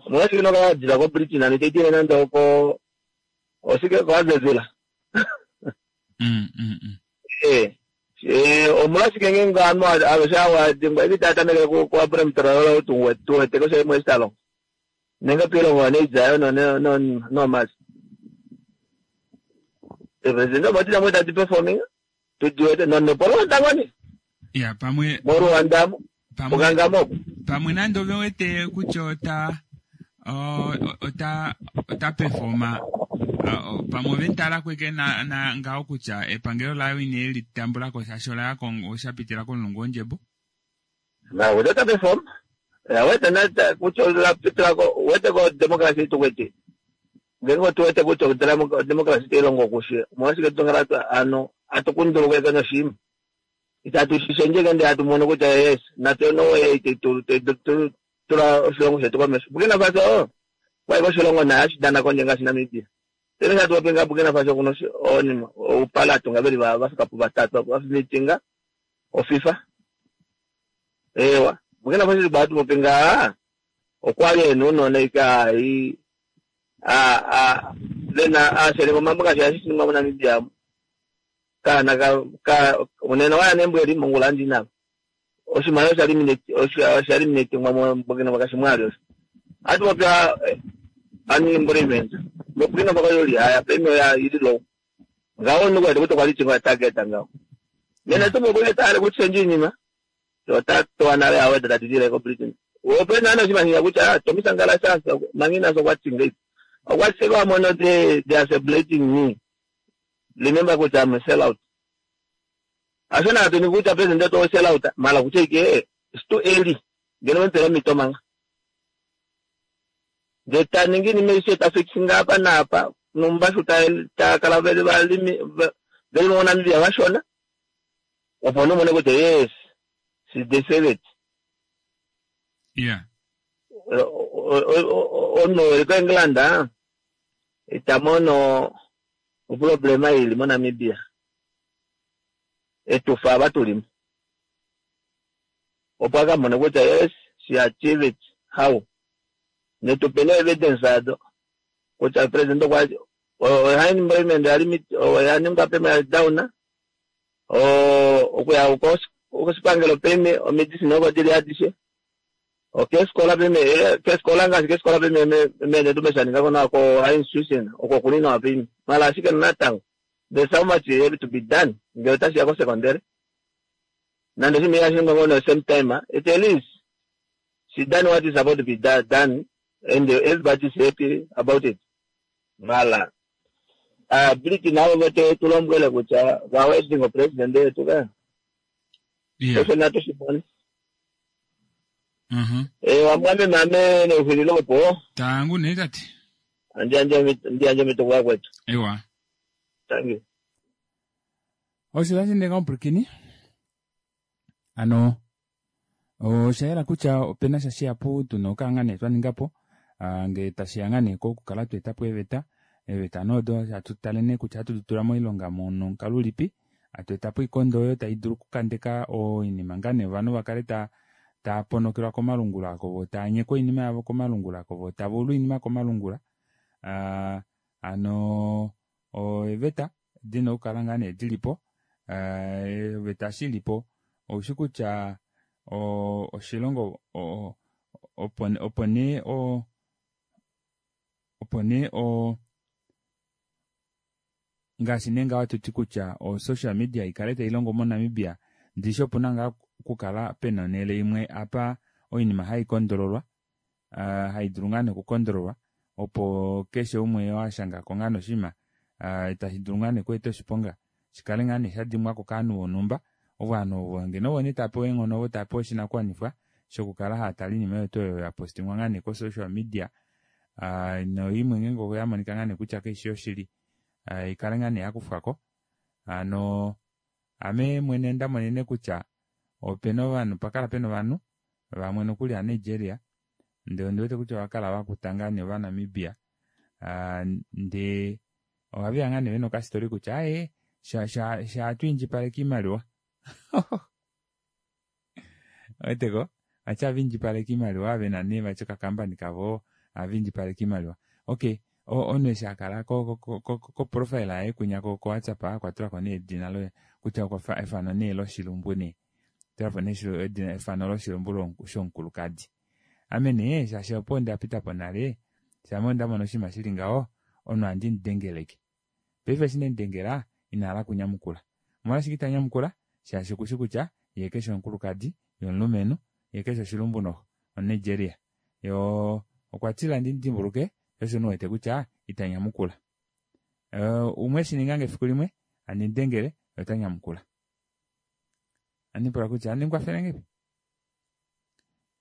mwasi kino ka jila ko Britain ani tetile nanda ko osike ko azezula mm mm mm eh eh omulasi kenge ngano abashawa dingwa ibitata nele ko ko Abraham Traore tu tu te ko se mo estalo nenga pilo ngone izayo no no no no mas president batira mo tati performing tujuete no no polo ndangoni ya pamwe moro andamo pamwe pamwe nando vewete kutya ota ota ota performa pamwe ventala kweke na na ngawo kutya epangelo layo ine litambula ko shashola ya Kongo shapitila komulungu wondjembo na wete perform ya wete na kutya la pitila ko wete ko democracy tukwete ngengo tuwete kutya democracy telongo kushi mwashike tongala ano atukundulukweka noshima itatu shenje kende atumono kutya yes natse no way tula oshilongo shetu komesho Burkina Faso kwaiko oshilongo naye ashidana kondje ngaashi Namibia tene shatuwapenga Burkina Faso kuno onima oupala atunga veli vafikapo vatatu vafimitinga oFIFA ewa Burkina Faso batumopenga okwali enu unona ika a a lena asheleko mambo ngaashi ashisiningwa moNamibia kana ka ka unena waya nembweli mongula ndina oshimaliwa osha eliminate osha eliminate ngwa Burkina Faso mwali osho ati mapya unemployment Burkina Faso yoli haya premium ya ili low ngawo nuko kuti kwali chingwa target ngawo nena tumo kule tare kuchenji nyima to ta to anale awe tatitire ko Britain opena ana chimanya kuti ah tomisangala sasa mangina so kwachinga okwatsekwa mono they they are celebrating me remember kuti I'm a sellout ashona atoni kuti president to sell out mala kucheke it's too early Ngeno vemupele omhito manga. Ndee taningi oinima aishe ta fixinga apa naapa numba ta kala veli valimi veli moNamibia vashona opo nomone kutya yes she deserve it. Yeah. Omunhu eli koEngland ita mono oproblema ili moNamibia etufa ava tulimo opo akamone kutya yes she achieve it how netupe no evidence ado kutya president okwa unemployment oya ningwa pema down okuya koshipangelo peme omedicine oko dili adishe okefikola peme kefikola ngaashi kefikola peme mene tumeshaningako nawa ko institution oko kuli nawa peme mala ashike natango there's so much have to be done ngele otashiya kosekondary nande oshinima ihashi ningwa ngo the same time it at least she done what is supposed to be done and everybody is happy about it mala ability navo vote tulombwele kutya va wedding president yetu ka Yeah. osho natu shimone Mhm. Eh wamwame mame neuhililo opo Tangu nee tate. ndiyandje omituko yakwetu Ewa. thank you Osho tashi ndeka omupulakeni. Ano osha yela kutya opena sha shihapu tuna okukala ngaa nee twa ninga po ah, ngele tashiya ngaa nee kokukala twa eta po eeveta eeveta nee odo hatu tale nee kutya ohatu di tula moilonga nomukalo ulipi hatu eta po oikondo oyo tai dulu okukandeka oinima ngaa nee ovanhu vakale ta tava ponokelwa komalungula vo tava nyekwa oinima yavo komalungula vo tava ulwa oinima komalungula ah, hano eeveta dina okukala ngaa nee dilipo ah, eeveta eshi ilipo oushi kutya oshilongo opo opo nee o opo nee o ngaashi nee ngaho hatuti kutya o social media ikale tailongo moNamibia ndishi opuna ngaa okukala pena onhele imwe apa oinima haikondololwa uh, haidulu ngaa nee okukondololwa opo keshe umwe oo ashangako ngaa noshinima uh, tashi dulu ngaa nee okweeta oshiponga shikale ngaa nee shadimwako kovanhu vonhumba ovanhu ovo ngeno ovo nee tava pewa eenghono ovo tava pewa oshinakuwanifwa shokukala hava tale oinima oyo tuu oyo yapostingwa ngaa nee ko-social media uh, noimwe ngeenge oyamonika ngaa nee kutya kaishi yoshili uh, ikale ngaa nee yakufwako hano ame mwene ndamonene kutya opena ovanhu pakala pena ovanhu vamwe nokuli aaNigeria ndee ondiwete kutya ovakala vakuta ngaa nee ovaNamibia uh, ndee ohaveya ngaa nee vena okasitori kutya aaye sha twiindjipaleka iimaliwa weteko vati haviindjipaleka iimaliwa vena nee vati okakambani kavo haviindjipaleka iimaliwa okay omunhu eshi akala ko profile yaye kwinya ko WhatsApp okwatulako nee edina loye kutya efano nee loshilumbu nee tulako nee efano loshilumbu shomukulukadi ame nee shaashi opo ndapitapo nale shama ondamona oshinima shili ngaho omunhu ohandi mudengeleke paife eshi nemudengela inahala okunyamukula omolwashike itanyamukula shaashi okushi kutya yee keshi omukulukadi ye omulumenhu ye keshi oshilumbu noxo omuNigeria yo okwa tila ndimudimbuluke sho osho ndiwete kutya itanyamukula umwe eshiningange efiku limwe handi mudengele ye otanyamukula ohandipula kutya ohandi mukwafele ngahelipi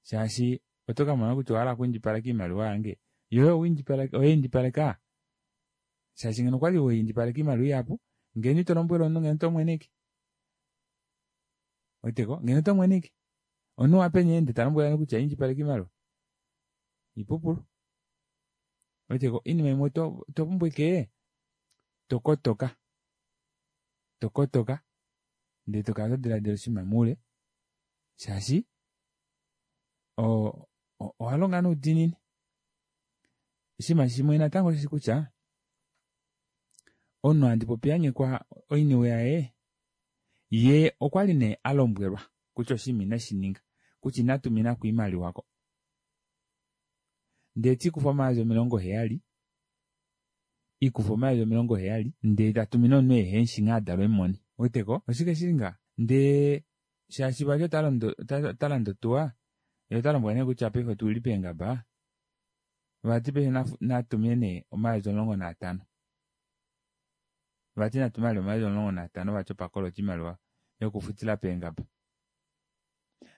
shaashi oto kamona kutya owahala okwiindjipaleka iimaliwa yange yoye oweindjipaleka shaashi ngeno okwali weindjipaleka iimaliwa ihapu ngeno ito lombwele omunhu ngeno otomweneke weteko ngeno otomweneke omunhu wapeni ende talombwele kutya indjipaleka iimaliwa ipupulu weteko oinima imwe otopumbwa ashike tokotoka tokotoka ndee tokala todilaadila oshinima moule shaashi owalonga noudiinini oshinima shimwe natango osheshi kutya omunhu handi popi anyekwa oiniwe yaye ye okwali nee alombwelwa kutya oshinima ineshininga kutya inatuminako oimaliwa ko ndee tikufa omayovi omilongo heyali ikufa omayovi omilongo heyali ndee tatumine omunhu ehemushi nghee adalwa emumone weteko oshike shili ngaha ndee shaashi vati otalande otuwa yee otalombwelwa nee kutya paife otuli peengaba vati paife natumine nee omayovi omulongo naatano vati natume vali omayovi omulongo naatano vati opo akolota oimaliwa yokufutila peengaba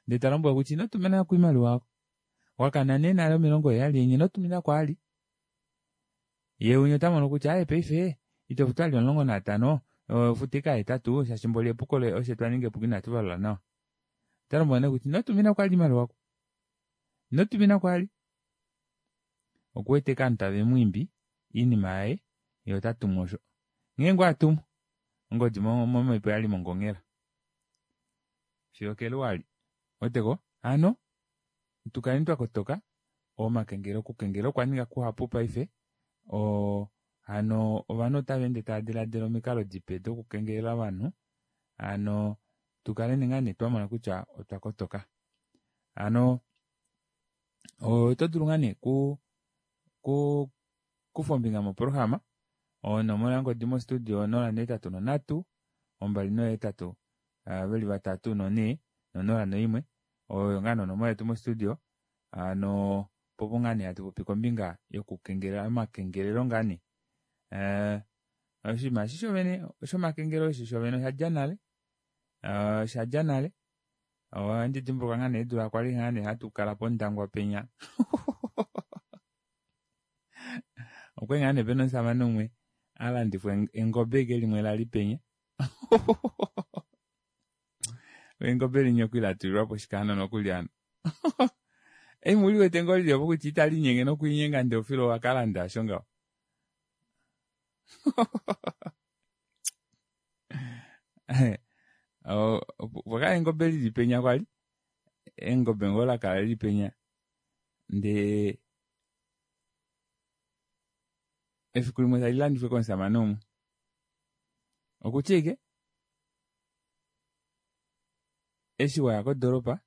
Ndee ta lombwelwa kutya ino tumina ko oimaliwa yako. Wakana nee nale omilongo heyali yenye ino tumina ko ali. Ye winya ota mono kutya aye paife ito futu ali omulongo naatano ofuta ashike ahetatu shaashi mboli epuko osho twaninga epuko inatu valula nawa. Ota lombwelwa nee kutya ino tumina ko ali oimaliwa oko. Ino tumina ko ali. Okuwete ovanhu tave mwiimbi oinima yaye ye ota tumu osho. Nghee ngoo atumu ongodi momhepo yali mongonghela. Fiyo keluwali. Weteko? Hano tukaleni twakotoka omakengelo okukengela okwa ninga kuhapu paife oo hano ovanhu otava ende tava diladila omikalo dipe dokukengelela ovanhu hano tukaleni ngaa nee twamona kutya otwa kotoka. Hano oto dulu ngaa nee ku ku kufa ombinga moprograma onomola yongodi mostudio onola nohetatu nonhatu ombali nohetatu veli vatatu nonhee nonola noimwe oyo ngaa nonomola yetu mostudio hano popo ngaa nee hatu popi kombinga yokukengelela omakengelelo ngaa nee oshinima eshi shovene shomakengelelo eshi shovene oshadja nale oshadja nale ohandi dimbuluka ngaa nee eedula kwali ngaa nee hatu kala pondangwa penya okwali ngaa nee pena omushamane umwe alandifwa engobe ike limwe lali penya engobe linya okwali latulilwapo oshikaano nokuli hano ei muliwete ngoo lili opo kutya italinyenge nokwiinyenga ndee ofilo wakalanda osho ngaho opwakala engobe lili penya kwali engobe ngoo lakala lili penya ndee efiku limwe tali landifwe komushamane umwe okutya ike eshi waya kodoropa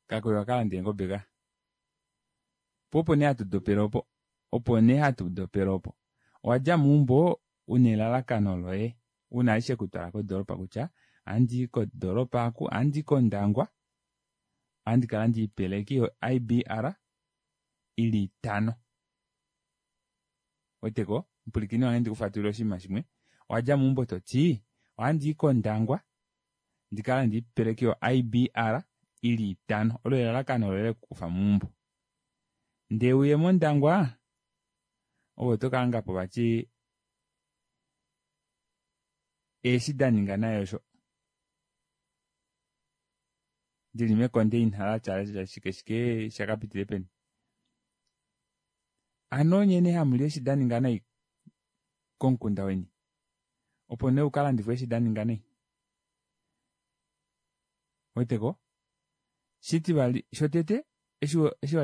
kakwali wakalanda eengobe ka po opo nee hatu dopele opo opo nee hatu dopele opo owadja meumbo una elalakano loye una eshi shekutwala kodoropa kutya ohandii kodoropa aku ohandii kondangwa ohandi kalanda oipeleki yo I B R ili itano weteko mupwilikini wange ndikufatulile oshinima shimwe owadja meumbo toti ohandii kondangwa ndikalande oipeleki yo I B R ili itano olo elalakano loye lekukufa meumbo ndee uye mondangwa ove oto kahangapo vati eeshi daninga naye osho dili mekondeina latya shike shike shakapitile peni hano nyene hamuli eshi daninga nai komukunda weni opo nee ukalandifwe eshi daninga nai weteko shitivali shotete eshi eshi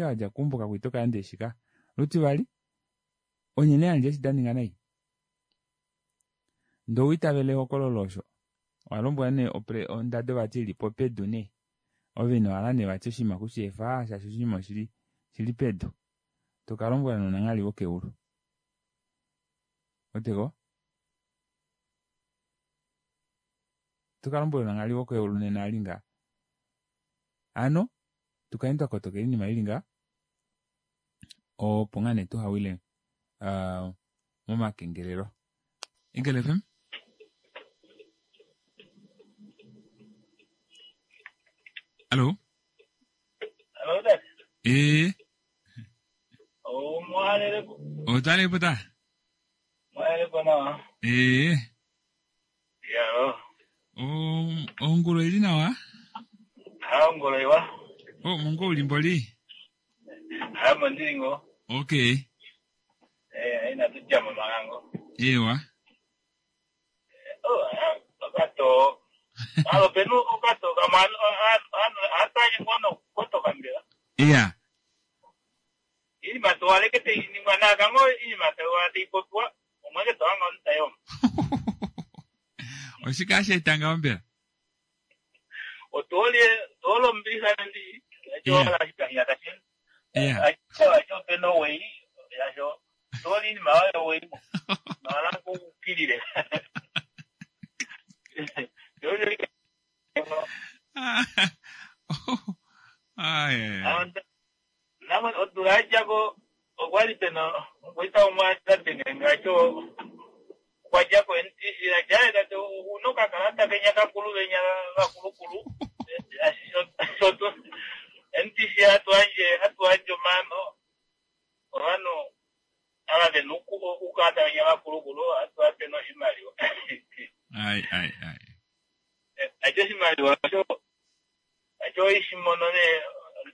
wadja keumbo kakwali tokalanda eeshi ka lutivali onyene hamuli eshi daninga nai ndee owiitavela ehokololo osho owalombwelwa nee ondado vati ilipo pedu nee ove inohala nee vati oshinima kusheefa shaashi oshinima oshili shili pedu tokalombwela nonanghali wokeulu weteko tokalombwela nonanghali wokeulu nena ali nga hano tukaleni twakotokela oinima ili nga opo ngaa nee tuhawile uh, momakengelelo. Eagle F M Allo Allo dad. Eh. Oh, mwalele. Otale pota. Mwalele nawa. Eh. Ya. Oh, onguro ili nawa? Ha onguro iwa. Oh, mungo ulimboli. Ha mondiringo. Okay. Eh, ina tujama magango. Ewa. Oh, okato. Alo penu okato kamano ataje kono koto kambira. Iya. Ili matwale ke te ningwana kango ili matwale te popwa omweke twanga ntayo. Oshika shetanga ombela. Otole tolo mbisa ndi chola shikanya tashi. Iya. Acho acho peno wei yasho toli ni mawe wei. Mala kukilile. Ai. Nama odulajako okwali pena okwita omwata tengengacho kwajako N T C la jaye tate unoka kalata kenya kakulu benya kakulukulu okukala tawenya vakulukulu ohatu vape noshimaliwa. Ai ai ai. Acho oshimaliwa osho acho ishimono ne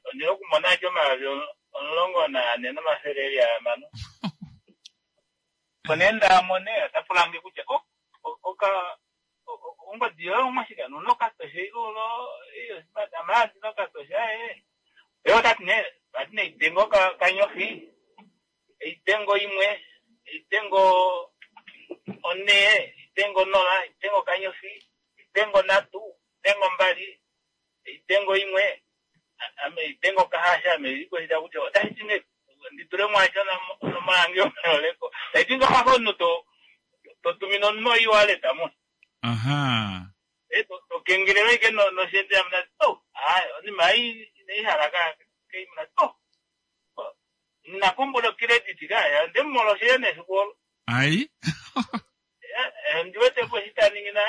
ondina okumona acho omayovi omulongo naane nomafele eli ahamano. Opo nee ndaamone ota pulange kutya o oka ongodi yoye omwashika nuna okatoshe ilo amala ndina okatoshe aye. Ye otati nee vati neidengo kanyofi eidengo imwe eidengo one eidengo nola eidengo kanyofi eidengo nhatu eidengo mbali eidengo imwe ame eidengo kahasha ame likweshita kutya otashi ti nee nditule mwasho onomola yange yomeholeko taiti ngafafa omunhu to totumina omunhu oiwaleta mo. Aha. E tokengelelwa ike noshende amuna oh hayi onima ei inaihala ka keimuna oh nakombola ocredit ka ndemumolo shene efiku olo. Ai. Ndiwete po shitaningi na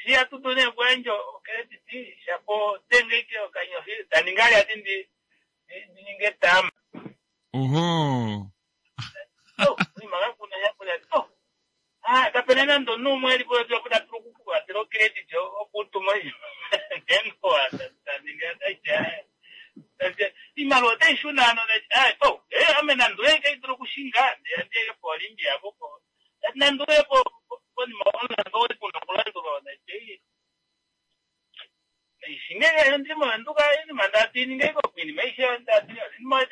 shiya tutu nee kuyandja ocredit shapo denge ike okanyofi taninga ali ati ndi ndininge tama. Oho. Oh, onima kakuna shapula oh ah kapena nande omunhu umwe elipo ta dulu okukuvatela ocredit okutuma ndengoa taninga taiti iimaliwa otai shuna ano oh ame nande kai dulu okushinga ndiyeke polimbi apo nande uye konima omulandu kuna okulandulwa ishinge ndimo nduka inima ndati ninge iko inima aishe ndati inima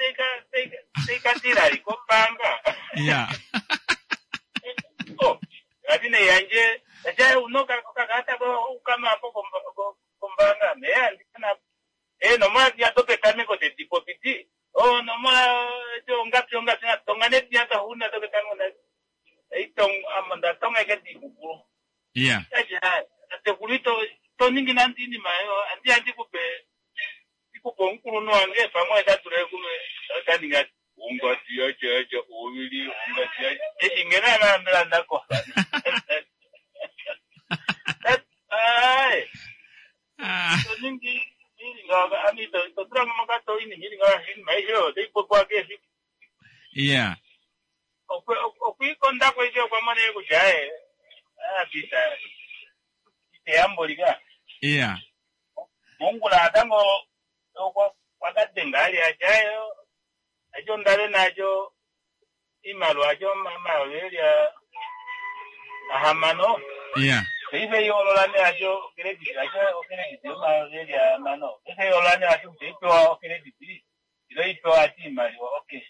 taikatila kombaanga. Ya. Oh ati neyandje acha uno okakalata ukamapo kombaanga meya ndikana e nomola ya topetameko tedi popiti o nomola ongapi ongapi tonga nediya tahuna topetameko itong amo ndatonga ike dikukulu. Ya. Acha atekulu ito toningi nandi inima yo andi andikupe ikupe omukulunhu wange pamwe tatule kume taninga ungati acha acha ovili ungati acha eshi ngena naambela ndako. Ai toningi ilinga ami totula mokato inima ilinga inima aishe oyo taipopiwa keefiku. Ya. Okwiikonda kweke okwamona kutya aye apita iteyambolika. Ya. Mongula natango kwakadenga ali achayo acho ndale nacho iimaliwa acho omayovi eli ahamano. Ya. Paife iyoolola nee acho ocredit acho ocredit yomayovi eli ahamano paife iyoolola nee acho kutya ipewa ocredit ilo ipewa ati iimaliwa okay.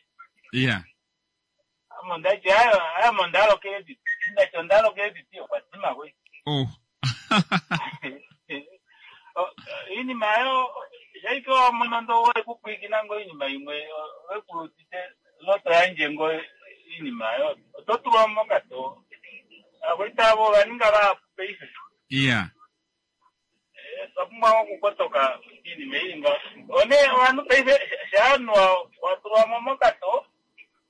Ya. Amo ndati ayo amo ndalo credit ndati ondalo credit okwadima kwe. Oh. Iinima yo shaipewa monondo wekupwikina ngo iinima imwe wekulutite loto yandje ngo iinima yo oto tulwa mokato akwitavo vaninga vahapu paife. Ya. Twapumbwa okukotoka iinima ili nga one ovanhu paife shaanhu watulwamo mokato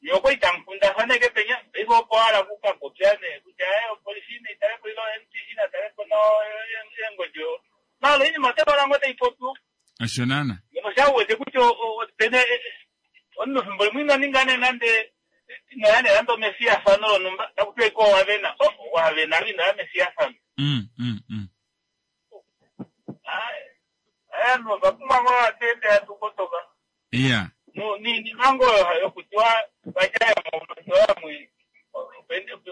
yoko itamukundafaneke penya paife opo hala kukapopya nee kutya opolisi naitalepo ilo M T C natalepo eengodi malo iinima otekola ngo taipopiwa. Osho nana. Ngeno shauwete kutya pene omunhu fimbo limwe ino ninga nee nande inoya nee nande omefiyafano lonhumba takutiwa iko owavena oh wavena inoya mefiyafano. Mm mm mm. Ovanhu ovapumbwa ngoo vatende hatukotoka. Ya. Niinima ngoo yokutiwa vatya vamwe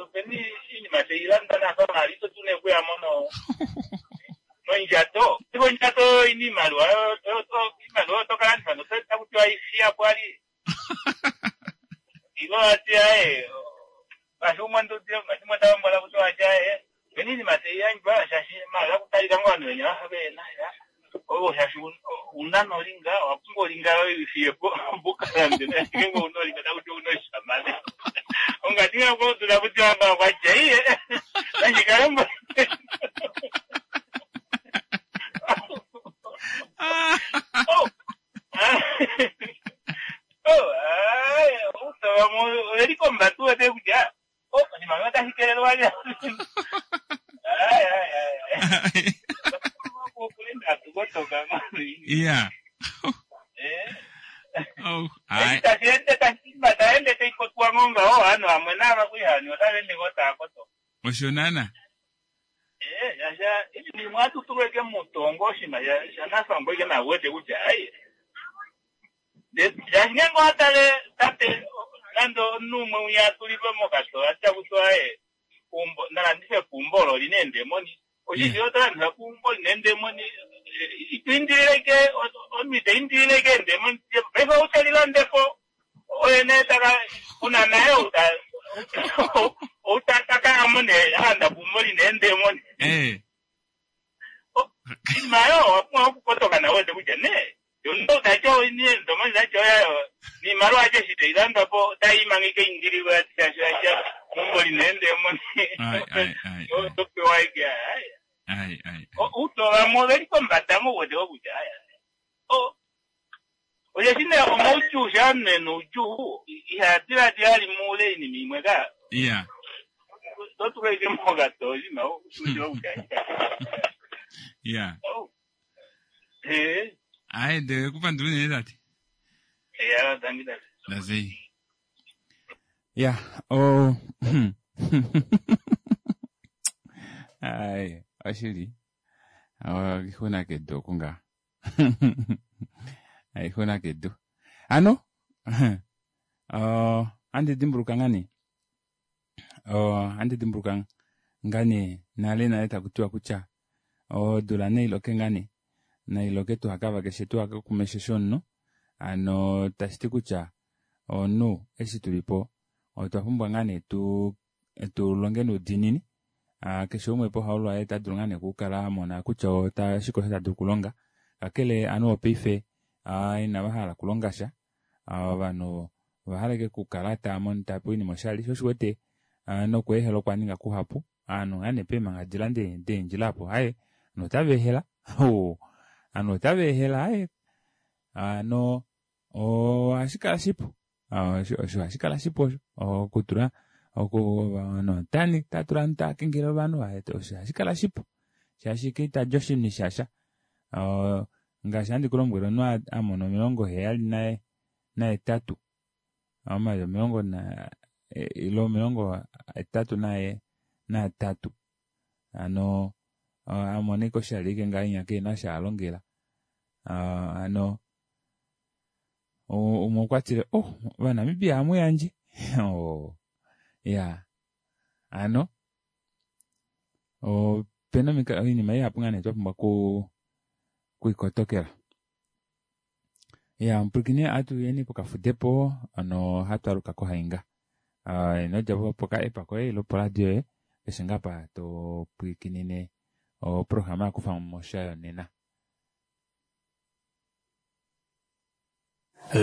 openi iinima tailanda nafa mali ito dulu nee okuyamo nondjato iko ondjato ina iimaliwa iimaliwa otokalandifa notakutiwa ifiyapo ali ilo ati aye ngaashi umwe ngaashi umwe ndalombola kuti wati aye openi iinima taiyandjwa shaashi mali akutalika ngoo ovanhu venya vafa vehena owo shaashi una nolinga owapumbwa olinga yoye ifiyepo opo ukalande ngeenge una olinga takuti una oshamane ongati ngakudula kuti wanga kwatya iye nandjikalombo. Oh oh ai utavamo oveli kombatu wete kutya oh oshimaliwa otashi kelelwa ai ai ai atukotoka. Ya. Eh Oh, ai. tashi ende tashi taende taipopiwa ngo ngaho ovanhu vamwe nava kuli hani otava ende ngoo tava koto. Osho naana. Eh, yasha iinima imwe ohatu tulwa ike mutongo oshinima sha- shanafangwa ike nawete kutya ai shaashi ngeenge owatale tate nande omunhu umwe winya atulilwe mokato atya kutya aye kumbo nalandife kumbo olo lina eendemoni oshishi otolandifa kumbo lina eendemoni ito indilile ike omunhu ita indilile ike eendemoni paife outelilandepo oye nee taka kuna naye outa outa takayamo nee alanda kumbo lina eendemoni Eh. iinima yo owa pumbwa okukotoka nawe wete kutya nee omuntu tacho niendomoni tacho yayo niimaliwa acho eshi tailandwa po otayi imanga ike indililwe ati shaashi acha mumbo lina eendemoni Ai ai ai. topewa ike ai Ai ai. uto vamwe oveli kombada mouwete kutya aya o osheshi nee omaudjuu sha omunhu ena oudjuu iha diladila ali muule oinima imwe ka Iya. totulwa ike mokato oshinima ushiwa kutya Iya. ee Ai de kupandula unene tate. eya tangi tate Lazei. Ya, oh. Ai, oshili. Oh, ixuna kedu oku ngaa. Ixuna kedu. Ano, oh, andi dimbuluka ngani? Oh, andi dimbuluka ngani nale nale taku tiwa kutya odula nailoke ngani nailoke tuhakava keshe tuhakakumeshe shomunhu ano tashi ti kutya omunhu eshi tulipo otwa pumbwa ngaa nee tu tulonge noudiinini ah, keshe umwe pohaulwa waye ta dulu ngaa nee okukala amona kutya ota shike osho ta dulu okulonga kakele ovanhu vopaife ah, inava hala okulonga sha Ah, ovanhu ovahala ike okukala tava mono tava pewa oinima oshali sho oshiwete ah, nokweehela okwa ninga kuhapu ovanhu ngaa nee peemhangadila deendjila apo aye ovanhu otava ehela oh, ovanhu otava ehela aye ano ohashi kala shipu Ah, osho osho hashi kala shipu osho okutula oku ovanhu otani tatula ovanhu tava kengele ovanhu ah, osho hashi kala shipu shaashi keitadja oshinhu shasha Ah, ngaashi handi kulombwele omunhu a- amona omilongo heyali naye nahetatu omayovi omilongo na eh, ile omilongo hetatu naye naatatu ano ah, amona ike oshali ike ngahenya keena osho alongela Ah, ano u- umwe okwa tile oh ovanamibia hamuyandje oh, ya ano opena omikalo oinima ihapu ngaa nee twa pumbwa ku kuikotokela ya mupwilikine atuyeni pokafudepo ano hatwaluka kohainga uh, inodja po poka app koye ile poradio yoye keshe ngaa pa topwikinine oprograma yakufa mosha yonena.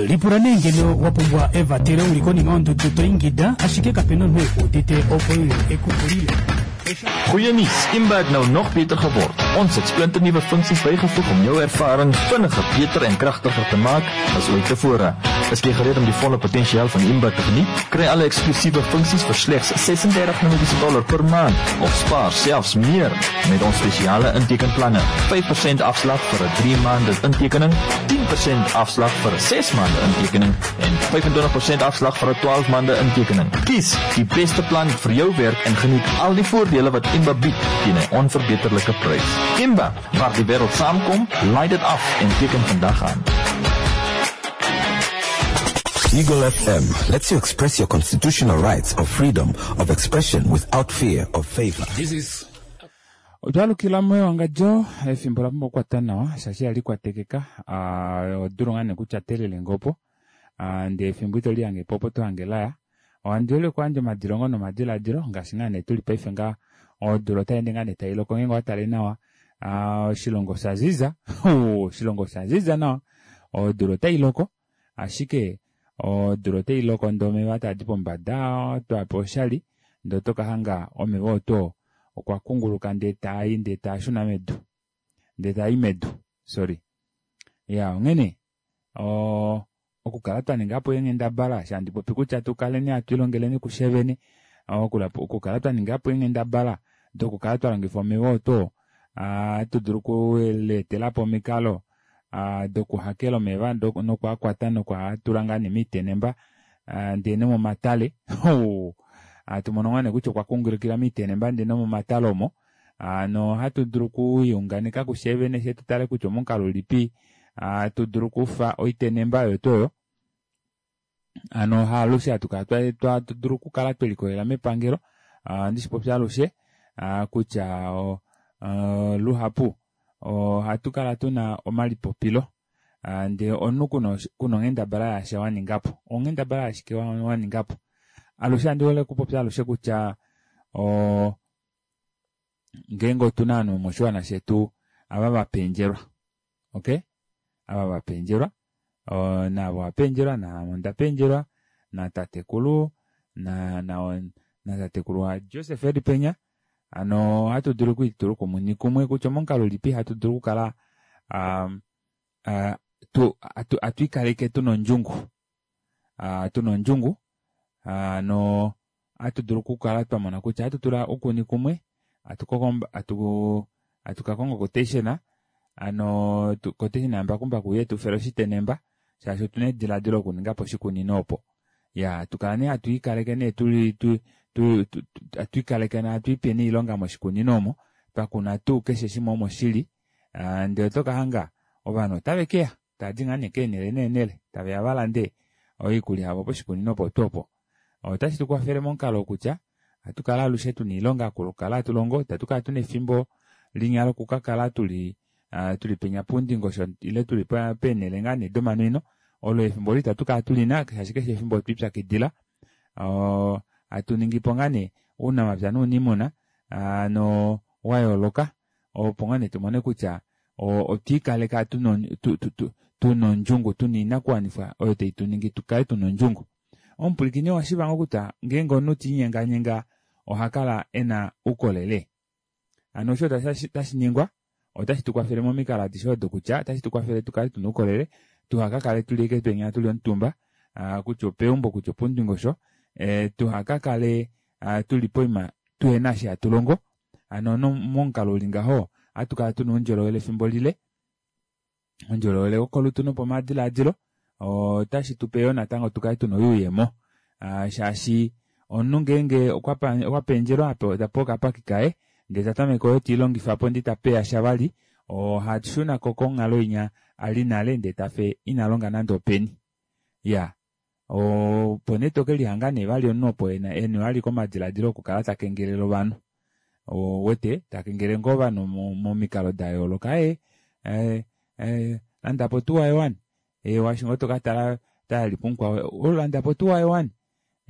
Lipula nee ngeno wa pumbwa evatelo uli konima yondudu to ingida ashike kapena omunhu ekuudite opo uye ekupulile. Goeie nuus, Imba het nou nog beter geword. Ons het splinternuwe funksies bygevoeg om jou ervaring vinniger, beter en kragtiger te maak as ooit tevore. Is jy gereed om die volle potensiaal van Imba te geniet? Kry alle eksklusiewe funksies vir slegs ses-en-dertig Namibiese dollar per maand of spaar selfs meer met ons spesiale intekenplanne. vyf persent afslag vir 'n drie maande intekening, tien persent afslag vir 'n ses maande intekening en vyf-en-twintig persent afslag vir 'n twaalf maande intekening. Kies die beste plan vir jou werk en geniet al die voordele wat Imba bied teen 'n onverbeterlike prys. Imba, waar die wêreld saamkom, laai dit af en teken vandag aan. Eagle F M lets you express your constitutional rights of freedom of expression without fear of favor. This is Otwalukila moyo efimbo la pumbwa okukwata nawa shaashi yali kwatekeka ah, odulu ngaa nee kutya telele ngopo ah, ndee efimbo ito lihange po opo tohange laya ohandi ole okuyandja omadilongo nomadiladilo ngaashi ngaa nee tuli paife ngaa odula otayeende ngaa nee tailoko ngeenge owatale nawa ah, oshilongo osha ziza oshilongo osha ziza nawa odula otailoko ashike odula otailoko ndee omeva taadi pombada twapewa oshali ndee otokahanga omeva oto okwa kunguluka ndee taai ndee taashuna medu ndee taai medu sorry ya onghene o okukala twa ningapo eenghendabala shandi popi kutya tukaleni hatu ilongeleni kushevene okukala twa ningapo eenghendabala dokukala twa longifa omeva oto hatu dulu okuleetelapo omikalo dokuhakela omeva nokuakwata nokuatula ngaa nee miitenemba ndee nomomatale Hatu mono ngaa nee kutya okwa kungulukila miitenemba ndee nomomatale omo. Nohatu dulu okuyunganeka kufye vene fye tutale kutya omomukalo ulipi hatu dulu okufa oitenemba oyo tuu oyo. Hano haalushe hatu kala hatu dulu okukala twelikolelela mepangelo. Ohandi shipopi alushe kutya luhapu ohatu kala tuna omalipopilo ndee omunhu kuna onghendabala yasha waningapo. Onghendabala yashike waningapo? Alushe ohandi hole okupopya alushe kutya ngeenge otuna ovanhu vomoshiwana shetu ava vapendjelwa, okay, ava vapendjelwa naave owapendjelwa, naame onda pendjelwa, natatekulu natatekulu waJoseph eli penya. Hano ohatu dulu okwiitula kumwe kumwe kutya omomukalo ulipi hatu dulu okukala hatwiikaleke tuna ondjungu, tuna ondjungu hano ohatu dulu okukala twamona kutya ohatu tula oukuni kumwe, hatu kakonga quotation hano quotation yambakumbaku uye tufele oshitenemba shaashi otuna ediladilo lokuningapo oshikunino opo. Ya tukala nee hatu ikaleke nee tuli hatu ikaleke hatu ipe nee oilonga moshikunino omo twakuna tuu keshe shimwe omo shili, ndee oto kahanga ovanhu otave keya tavadi ngaa nee keenele neenele taveya valande oikulya yavo poshikunino opo tuu opo. Otashi tukwafele momukalo kutya ohatu kala alushe tuna oilonga okukala hatu longo, itatu kala tuna efimbo linya lokukakala tuli tuli penya poundingosho ile tuli peenele ngaa nee domanwino. Olo efimbo olo itatu kala tulina shaashi keshe efimbo otwiipyakidila hatu ningipo ngaa nee ounamapya nouniimuna no wayooloka opo ngaa nee tumone kutya otwiikaleka tuna ondjungu, tuna oinakuwanifwa oyo tai tuningi tukale tuna ondjungu. Omupwilikini owashiiva ngoo kutya ngeenge omunhu tiinyenganyenga ohakala ena oukolele. Hano osho tashi ningwa otashi tukwafele momikalo adishe odo kutya otashi tukwafele tukale tuna oukolele, tuhakakale tuli ashike penya tuli omutumba kutya opeumbo kutya opoundingosho, tuhakakale tuli poima tuhena eshi hatu longo. Hano momukalo uli ngaho ohatu kala tuna oundjolowele efimbo lile, oundjolowele wokolutu nopomadilaadilo. Otashi tupe yoo natango tukale tuna oyuuyemo, shaashi omunhu ngeenge okwa pendjelwa tapewa okapaki kaye ndee tatameke oyo tiilongifapo ndee itapeya sha vali, ohashunako konghalo inya ali nale ndee tafe ina longa nande openi. Ya opo nee tokelihanga nee vali omunhu opo ena vali komadilaadilo okukala takengelele ovanhu. Ouwete takengelele ngoo ovanhu momikalo dayooloka, ee landapo otuwa yowani, eewa eshi ngoo tokatala otayalipo mukwao, landapo otuwa yowani,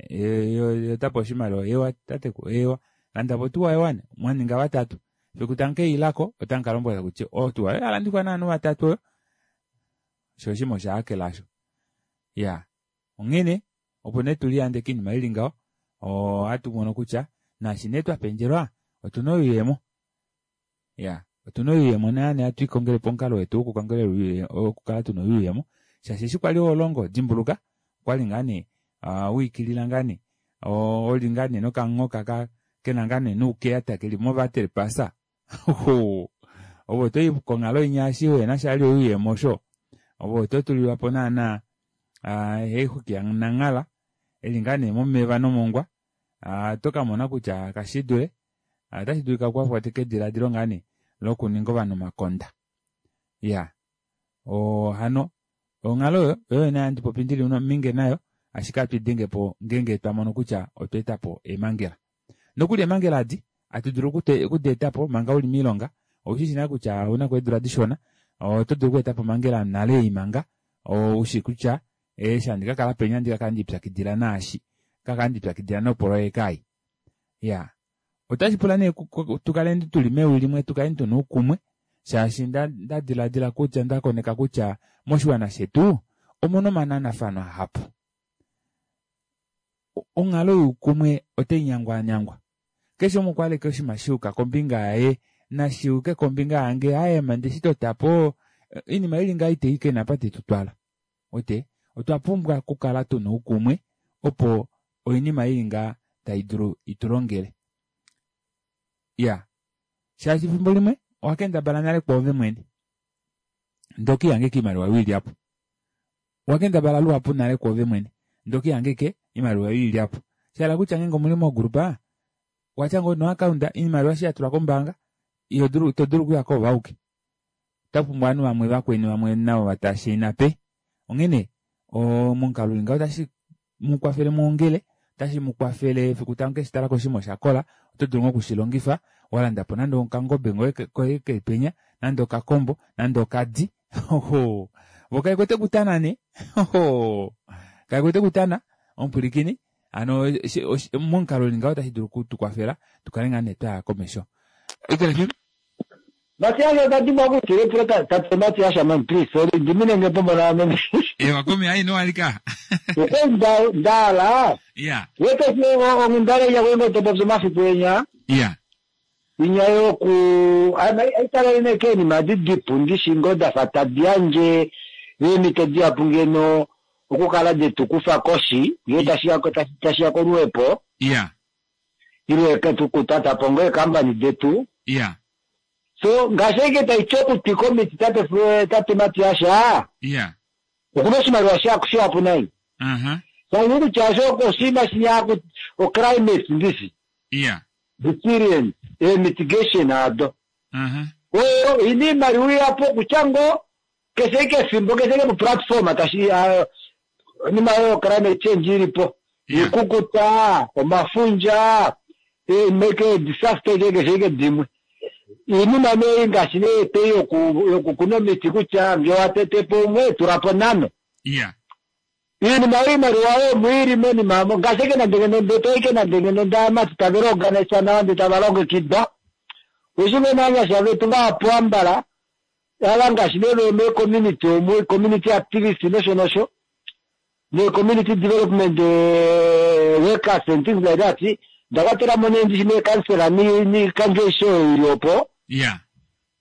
ye otapewa oshimaliwa, eewa tatekulu, eewa landapo otuwa yowani, mwaninga vatatu. Fiku tamukeilako otamukalombwela kutya otuwa oyo yalandifwa novanhu vatatu oyo, shoo oshima oshahakela osho. Ya onghene opo nee tuliyande koinima ili ngaho, ohatu mono kutya naashi nee twapendjelwa otuna oyuuyemo. Ya otuna oyuuyemo naana hatu ikongelepo omukalo wetu wokukongelela wokukala tuna oyuuyemo, shaashi eshi kwali holongo dimbuluka okwali ngaa nee wiikilila ngaa nee oli ngaa nee nokamunghoka kena ngaa nee noukeyata keli movaterpasa. Ove otoyi konghalo inya eshi uhena sha vali oyuuyemo osho, ove oto tulilwapo naana haixuki yananghala eli ngaa nee momeva nomongwa, oto kamona kutya kashidule otashi dulika ukakwatwe kediladilo ngaa nee lokuninga ovanhu omakonda. Ya hano onghalo oyo oyo nee handi popi ndili ominge nayo, ashike ohatu idengepo ngeenge twamono kutya otwa etapo eemhangela. Nokuli eemhangela adi hatu dulu okudi etapo manga uli moilonga, oushishi nale kutya ouna eedula dishona, oto dulu okweetapo omhangela nale ei manga ushi kutya eshi handi kakala penya ohandi kakala ndiipyakidila naashi, kakala ndiipyakidila nopoloyeka ei. Ya otashi pula nee tukaleni tuli mewi limwe, tukaleni tuna oukumwe, shaashi ndadiladila kutya ndakoneka kutya moshiwana shetu omuna omananafano ahapu. Onghalo youkumwe otai nyangwanyangwa, keshe umwe okwaleka oshinima shiyuka kombinga yaye nashiyuke kombinga yange, aaye ndeshi totapo oinima ili ngaho itei kena apa tetutwala. Ote otwa pumbwa okukala tuna oukumwe opo oinima ili ngaha tai dulu itulongele. Ya shaashi efimbo limwe owakendabala nale kwoove mwene ndee okiihangeka oimaliwa oyo ilyapo, owakendabala luhapu nale kwoove mwene ndee okiihangeke oimaliwa oyo ilyapo, Shala kutya ngeenge omuli mogrupa watya ngoo noakaunda iimaliwa eshi ya tulwa kombaanga iho dulu ito dulu okuya ko vauke. Ota pumbwa ovanhu vamwe vakweni vamwe navo vatashaina pe. Onghene momukalo uli ngaho otashi mu kwafele muongele, otashi mu kwafele efiku tamu keshi talako oshinima oshakola, oto dulu ngoo okushilongifa walanda po nande okangobe ngoye koye keli penya, nande okakombo, nande okadi. Oho, vo kave kwete kutana nee. Oho, kave kwete kutana omupwilikini. Hano momukalo uli ngaho otashi dulu okutukwafela tukale ngaa nee twaya komesho. Eagle F M? Matias ota dimbwa okutula epulo tate Matias man please sorry dimine nge po mona ame. Ewa komi ai no alika. Okwe nda ndala. Yeah. Wete ongundale ya wengo to popyo mafiku enya. Yeah. Inya yoku aitalele nekeni madidipu ndishi ngo dafa tadi yandje eemhito dihapu ngeno okukala detukufa koshi ngee tashiya tashiya koluhepo. Yeah. Ile tukutata po ngoo eekambani detu. Yeah. So ngaashi ashike taiti okutwika omiti tate tate Matias. Yeah. Okuna oshimaliwa shihapu nai. Uh-huh. Saini kutya osho oshinima shinya o climate ndishi. Yeah. Resilience e mitigation ado. Uh-huh. Oyo ina iimaliwa ihapu okutya ngoo keshe ike efimbo keshe ike platform tashi onima oyo climate change ilipo. Yeah. Ikukuta, omafundja, make disaster keshe ike dimwe. Iinima nee ngaashi nee eteyi yokukuna omiti kutya ngee watete po umwe tula po nhano. Yeah. Iinima oyo iimaliwa oyo omwiili monima amo ngaashi eke nande ngeno ndee ike nande ngeno ndaamati tave liorganisa nawa ndee tava longekidwa. Ushi ngeno ovanyasha vetu vahapu ambala ava ngaashi nee mee-community omu community activist nosho nosho nee-community development workers and things like that ndakwatela mo nee ndishi nee-councillor niikandjo aishe oyo ili opo. Yeah.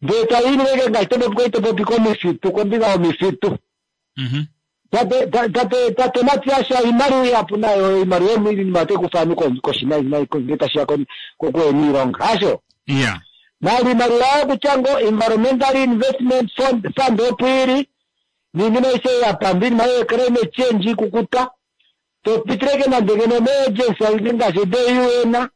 Ndee tayiinileke ngaashi topopi topopi komifitu kombinga yomifitu. Mhm. Tate tate tate Matias iimaliwa ihapu nayo iimaliwa omo otai kufa ovanhu koshi nai nai ngee tashiya kokuhena hasho. Yeah. Nali iimaliwa yokutya ngo environmental investment fund fund opo ili niinima aishe yapamba iinima yo climate change ikukuta topitileke nande ngeno mee-agency aishe ngaashi de-U N.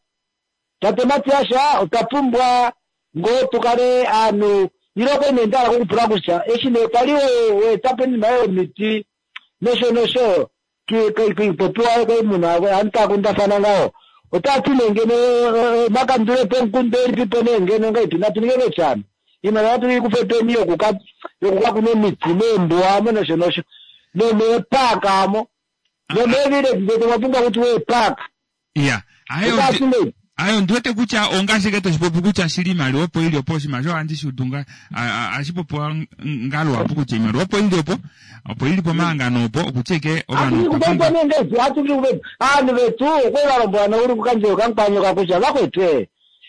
Tate Matias otwa pumbwa ngoo tukale aanhu ile okwe nee ndahala okupula kutya eshi nee kwali weetapo iinima yomiti nosho nosho kiipopiwa koimuna aantu taya kundafana ngaho otati nee ngeno makandulepo omukundu elipipo nee ngeno ngaipi natu ninge kechano iimaliwa natu ikufe peni yokuka yokukakuna omiti meembuwa amo nosho nosho nomeepaka amo nomeevillage zetu omwa pumbwa kuti weepaka. Yeah. Ayo Otati nee ayo ndiwete kutya ongashike toshipopi kutya shili iimaliwa opo ili opo oshinima osho ohandi shi udu nga ashi popiwa ngaluhapu kutya iimaliwa opo ili opo opo ili pomahangano opo okutya ike ovanhu otwa pumbwa atukupepo atukupepo aanhu vetu okwe valombwela nouli kukandjelo kamukwanyoka kutya vakwetu e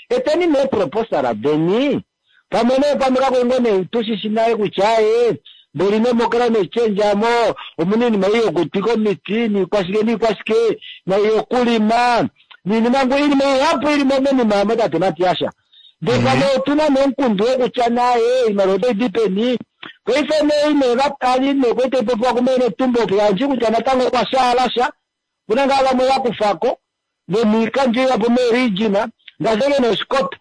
eteni nee proposal deni pamwe nee pamwe kakwengo nee tushishi naye kutya e mboli nemo climate change amo omuna iinima ei yokutwika omiti niikwashike niikwashike naiyokulima niinima ngo iinima ihapu ilimo menima amo tate Matias. Ndee pamwe otuna nomukundu wokutya naye iimaliwa otayi di peni paife nee ine vatali nee kwete ipopiwa kumene tumbo yandji kutya natango okwa shaala sha kuna ngaa vamwe vakufako nomiikandjo ihapu meeregina ngaashi eke noshikoto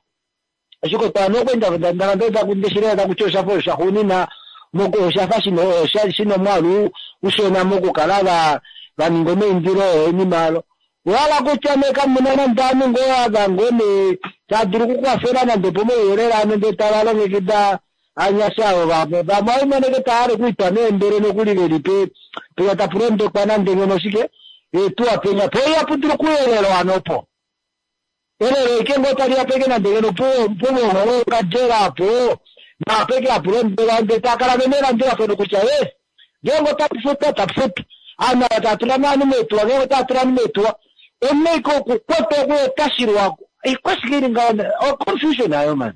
oshikoto ano okwenda ndandashilea takutya oshafa oshaxuunina oshafa shina omwaalu ushona mokukala va vaninga omaindilo oinima alo wala kutya nee kamuna nande aanhu ngoo ava ngoo nee tadulu okukwafela nande pomauyelele ano ndee tava longekida anyasha avo vamwe vamwe oimoneke taale kuitwa neembele nokuli veli pe penya tapu londekwa nande ngeno shike eetuwa penya po ihapu dulu okuyelelwa ano po elelo ike ngoo tali yapeke nande ngeno pumongo apo napeke hapu londelwa ndee takala vemelandulafano kutya yes ngeenge otapu futa tapu futa aanhu ava tatula naanhu meetuwa ngeenge otatula ovanhu meetuwa omunaike okukwata okuetashilwa ikwashike ili ngaho o confusion ayo man.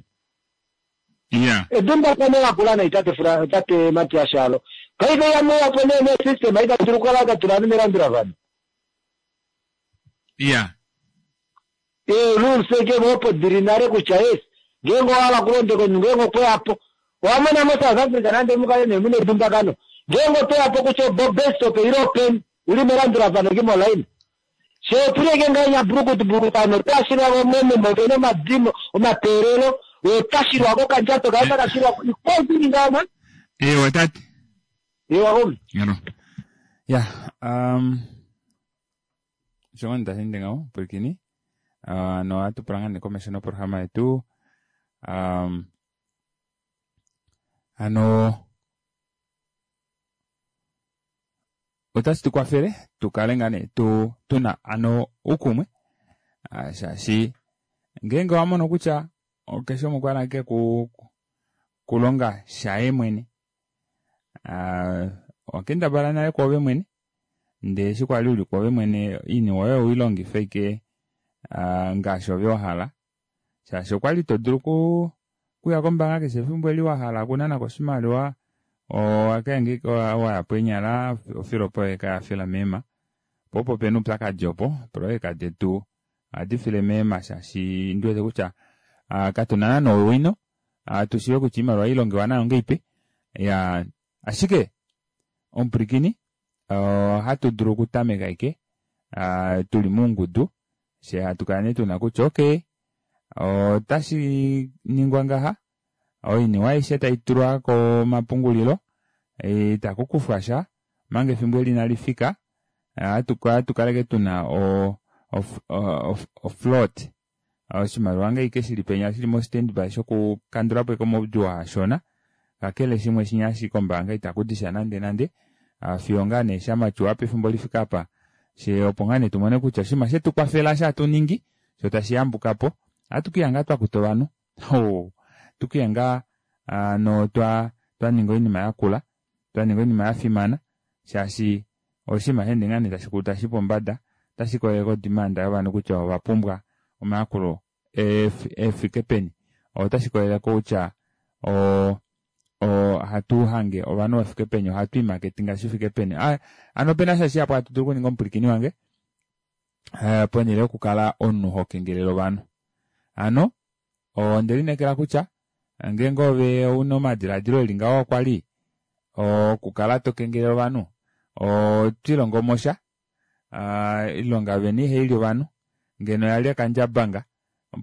Yeah. Edumbakano lakula nai tate Fra tate Matias alo paife yameyapo nee ne system aitadulu kukala tatula ovanhu melandulafano. Yeah. Ee rules eke opo dili nale kutya yes ngeenge owahala kulondeka omunhu ngeenge okweyapo owamona mo South Africa nande mukale nee muna edumbakano ngeenge otoyapo kutya bus stop ile openi uli melandulafano ki molaini She otuleke ngahenya brukutu brukutu ano otashilwa momemo opena omadimo omateelelo otashilwa kokandjato kaye takashilwa ikwao ngama. Ewa tate. Ewa homi. Ngano. Ya, um shongo tashi ngaho pwilikini. Uh, no hatu pula ngaa nee komesho noprograma yetu. Um ano otashi tu kwafele tu kale ngaa nee tu tuna ano uukumwe uh, shaashi ngeenge owa mono kutya keshe umwe okwa hala ashike ku kulonga shaye mwene uh, owakendabala nale kwoove mwene ndee eshi kwali uli kwoove mwene oiniwe oyo owiilongife ashike uh, ngaashi ove wahala shaashi okwali to dulu ku kuya kombaanga keshe efimbo eli wahala okunanako oshimaliwa owakaenge wayapo enyala ofilopo yoye kayafila meema po opo pena oupyakadi opo eepoloyeka detu ohadi file meema shaashi ndiwete kutya uh, katuna naana owino uh, tushive kutya oimaliwa ilongewa nayo ngeipi ya ashike omupwilikini ohatu dulu okutameka ashike uh, tuli moungudu she hatu kala nee tuna kutya okay otashi ningwa ngaha oiniwa aishe taitulwa komapungulilo itakukufwa sha omanga efimbo eli inalifika hatu kaleke tuna o, o, o, o float oshimaliwa ngeike shili penya shili mo standby shokukandulapo eke omaudjuu ashona kakele shimwe shinya shi kombaanga itakudisha nande nande fiyo ngaa nee shamatyuwa pefimbo lifika apa she opo ngaa nee tumone kutya oshinima shetu kwafela shatuningi sho tashi yambukapo ohatu ngaa twakuta ovanhu oh, tukiya ngaa no twa twaninga oinima yakula twaninga oinima yafimana shaashi oshinima sheende ngaa nee tashi tashi pombada otashi kolele kodimanda yovanhu kutya ovapumbwa omayakulo efike peni otashi kolele kutya o ohatu hange ovanhu vafike peni ohatu imaketinga shifike peni ano opena sha shihapu hatu dulu okuninga omupwilikini wange ponhele yokukala omunhu hokengelele ovanhu ano ondelineekela kutya ngeenge ove una omadiladilo eli ngaho okwali okukala tokengelele ovanhu otwiilongo sha ilonga veni ihaili ovanhu ngeno yali akandjabanga